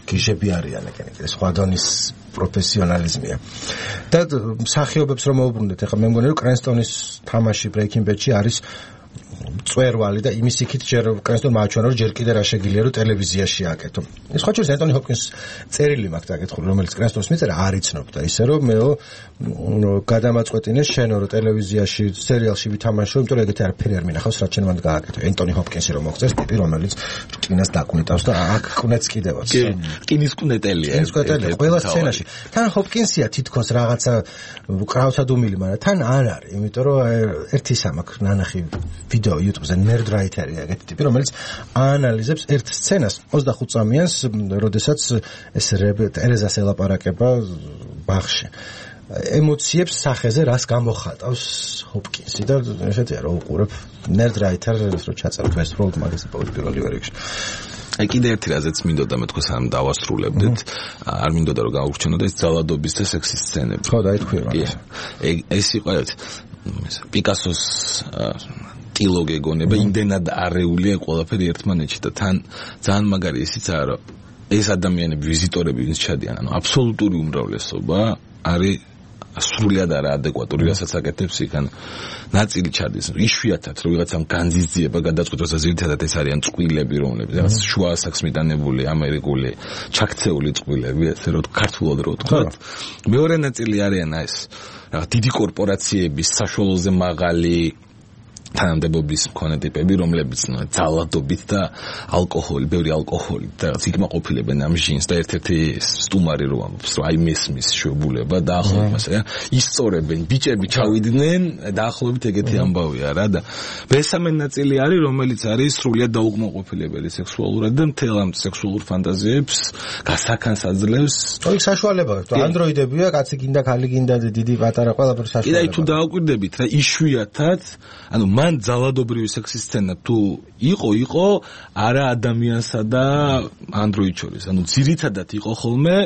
გიჟები არიან ეგენი, სხვა დონის პროფესიონალიზმია. და მსახიობებს რომ მოუბრუნდეთ, ეხლა მე მგონი რომ კრენსტონის თამაში Breaking Bad-ში არის წვერვალი და იმის იქით ჯერ კრენსტონმა აჩვენა რომ ჯერ კიდე რა შეგიძლია რომ ტელევიზიაში აკეთო. ეს ხო შეიძლება ენტონი ჰოპკინს წერილი მაქვს დაკითხული, რომელიც კრენსტონს მიწერა არ იცნობდა, ისე რომ მეო გადამაწყვეტინეს შენო რომ ტელევიზიაში სერიალში ვითამაშო, იმიტომ რომ ეგეთი არაფერი არ მინახავს, რაც შენ მანდ გააკეთო. ენტონი ჰოპკინსი რომ მოგწეს ტიპი, რომელიც რკინას დაკუნეტავს და აქ კუნეც კიდევაც. რკინის კუნეტელია. რკინის კუნეტელია ყველა სცენაში. თან ჰოპკინსია თითქოს რაღაცა კრავსადუმილი, მაგრამ თან არ არის, იმიტომ რომ ერთი სამაკ ნანახი ვიდეო YouTube-ზე Nerdwriter-ი ეგეთი ტიპი, რომელიც აანალიზებს ერთ სცენას 25 წამიანს, როდესაც ეს ტერეზას ელაპარაკება ბაღში. ემოციებს სახეზე რას გამოხატავს ჰოპკინსი და ესეთია რომ უყურებ Nerdwriter-ს რო ჩაწერებ Westworld მაგაზე პირველი რიგში. აი კიდე ერთი რაზეც მინდოდა მე თქვენ სამ დავასრულებდეთ არ მინდოდა რომ გაურჩენოდა ეს ძალადობის და სექსის სცენები ხო დაითქვია ეს იყო პიკასოს ტილო გეგონება იმდენად არეულია ყველაფერი ერთმანეთში და თან ძალიან მაგარი ისიცაა რომ ეს ადამიანები ვიზიტორები ვინც ჩადიან ანუ აბსოლუტური უმრავლესობა არის სრულიად არაადეკვატური რასაც აკეთებს იქ ან ნაწილი ჩადის იშვიათად რომ ვიღაცამ განძიძიება გადაწყვეტოს და ზირთადად ეს არიან წყვილები რომლებიც რაღაც შუა ასაკს მიტანებული ამერიკული ჩაქცეული წყვილები ესე რომ ქართულად რო ვთქვათ მეორე ნაწილი არიან ეს რაღაც დიდი კორპორაციების საშუალოზე მაღალი თანამდებობის მქონე ტიპები, რომლებიც ძალადობით და ალკოჰოლი, ბევრი ალკოჰოლით და იკმაყოფილებენ ამ ჟინს და ერთ-ერთი სტუმარი რო ამბობს, რომ აი მესმის შობულება დაახლოებით ასე, ისწორებენ, ბიჭები ჩავიდნენ, დაახლოებით ეგეთი ამბავია რა და მესამე ნაწილი არის, რომელიც არის სრულიად დაუკმაყოფილებელი სექსუალურად და მთელ ამ სექსუალურ ფანტაზიებს გასახანს აძლევს. ოი საშუალებაა, ანდროიდებია, კაცი გინდა, ქალი გინდა, დიდი პატარა ყველაფერი საშუალებაა. კიდე თუ დააკვირდებით რა, იშვიათად, ანუ მან ძალადობრივი სექსის სცენა თუ იყო არა ადამიანსა და ანდროიდ შორის. ანუ ძირითადად იყო ხოლმე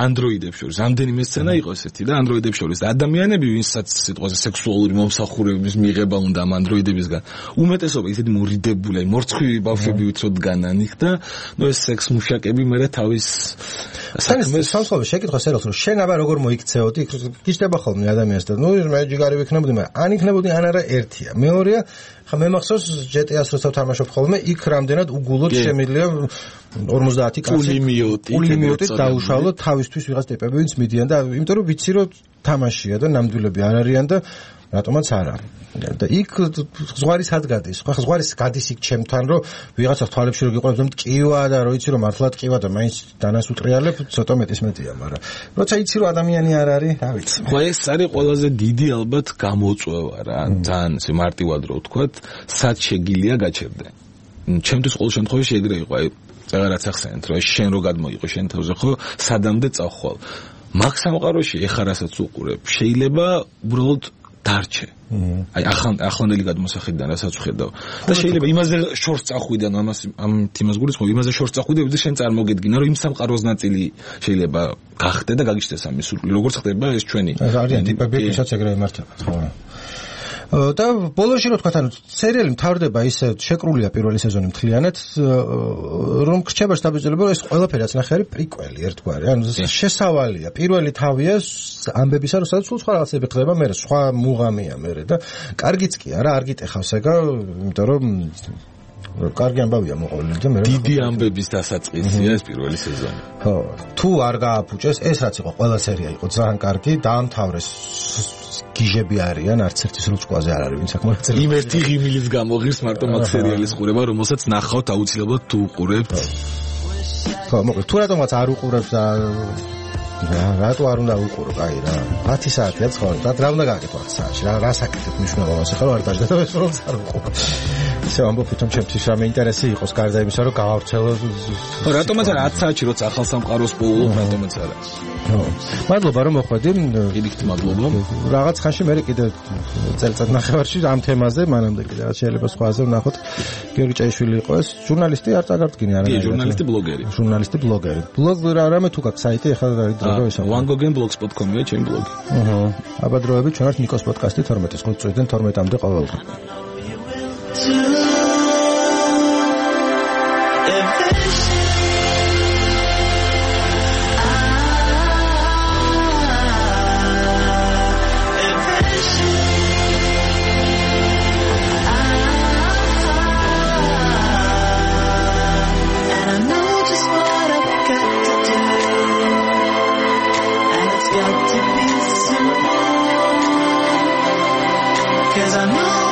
ანდროიდებს შორის. რამდენიმე სცენა იყო ესეთი და ანდროიდებს შორის. ადამიანები, ვინცაც სიტყვაზე სექსუალური მომსახურების მიღება უნდა ამ ანდროიდებისგან, უმეტესობა ისეთი მორიდებული, მორცხვივი ბავშვები ვიწროდ განან იქ და ნუ ეს სექს მუშაკები მე თავის საქმეს სამსხობი შეკითხოს ეროს რომ შენ აბა როგორ მოიქცეოდი იქ გიჩნდება ხოლმე ადამიანს და ნუ მე ჯიგარი ვიქნებოდი მაგრამ ან იქნებოდი ან არა ერთია მეორეა ხა მე მახსოვს GTA-ს როცა ვთამაშობ ხოლმე იქ რამდენად უგულოდ შემიძლია 50 კაცი პულიმიოტით დაუშალო თავისთვის ვიღაც ტიპები ვინც მიდიან და იმიტომ რომ ვიცი რომ თამაშია და ნამდვილები არ არიან და რატომაც არა და იქ ზღვარი სად გადის ხო ზღვარი გადის იქ ჩემთან რომ ვიღაცა თვალებში რო გიყვანებს რომ ტკივა და რო იცი რომ მართლა ტკივა და მაინც დანას უტრიალებ ცოტა მეტის მეტია მაგრამ როცა იცი რომ ადამიანი არ არის რა ვიცი ხო ეს არის ყველაზე დიდი ალბათ გამოწვევა რა ძალიან ესე მარტივად რო ვთქვათ სად შეგილია გაჩერდე ჩემთვის ყოველ შემთხვევაში ეგრე იყო აი წეგარაც ახსენეთ რომ შენ რო გადმოიყო შენ თავზე ხო სადამდე წახვალ მაგ სამყაროში ეხა რასაც უყურებ შეიძლება უბრალოდ დარჩე. აი ახლანდელი გადმოსახედიდან რასაც ვხედავ. და შეიძლება იმაზე შორს წახვიდე, ანუ ამ თემას გულისხმობ, იმაზე შორს წახვიდე, ვიდრე შენ წარმოგედგინა, რომ იმ სამყაროს ნაწილი შეიძლება გახდე და გაგიჩნდეს ამის სურვილი. როგორც ხდება ეს ჩვენი. არიან ტიპები, ვისაც ეგრევე მართებათ, ხო? და ბოლოში რო თქვათ, ანუ სერიალი მთავრდება ისე შეკრულია პირველი სეზონი მთლიანად, რომ გრჩება შტაბიძიება, რომ ეს ყველაფერი რაც ნახე არის პრიკველი ერთგვარი. ანუ შესავალია. პირველი თავია ამბებისა, რომ სადაც სულ სხვა რაღაცები ხდება, მე სხვა მუღამია მე და კარგიც კი არა, არ გიტეხავს ეგა, იმიტომ რომ კარგი ამბავია მოყოლილი და მე დიდი ამბების დასაწყისია ეს პირველი სეზონი. ხო, თუ არ გააფუჭეს, ეს რაც იყო ყველა სერია იყო ძალიან კარგი, დაამთავრეს გიჟები არიან, არც ერთის როჭკვაზე არ არის, ვინც აქ მონაწილე. იმ ერთი ღიმილის გამოღირს მარტო მაგ სერიალის ყურება, რომელსაც ნახავთ აუცილებლად თუ უყურებთ. ხო, მოკლედ, თუ რატომაც არ უყურებთ და რატო არ უნდა უყურო, კაი რა. 10 საათია ცხოვრება. რა უნდა გააკეთო 10 საათში? რა საკეთებ მნიშვნელოვანს ახლა არ დაждდა და ეს რომ არ უყურო. ისე ამბობ თვითონ ჩემთვის რამე ინტერესი იყოს გარდა იმისა, რომ გავავრცელო. ხო, რატომაც არა 10 საათში როცა ახალ სამყაროს პოულობ, რატომაც არა. ხო. მადლობა რომ მოხვედი. პირიქით მადლობა. რაღაც ხანში მე კიდე წელიწად ნახევარში ამ თემაზე, მანამდე კიდე რაც შეიძლება სხვაზე ვნახოთ. გიორგი ჭაიშვილი იყო ეს ჟურნალისტი, არ წაგარდგინე არა. კი, ჟურნალისტი, ბლოგერი. ჟურნალისტი, ბლოგერი. ბლოგ რამე თუ გაქვს საიტი, ახლა არის დრო ისე. wangogen.blogspot.com-ია ჩემი ბლოგი. აბა დროები ჩვენ ვართ ნიკოს პოდკასტი 12-ის 5 წუთიდან 12-მდე ყოველდღე. Cause I know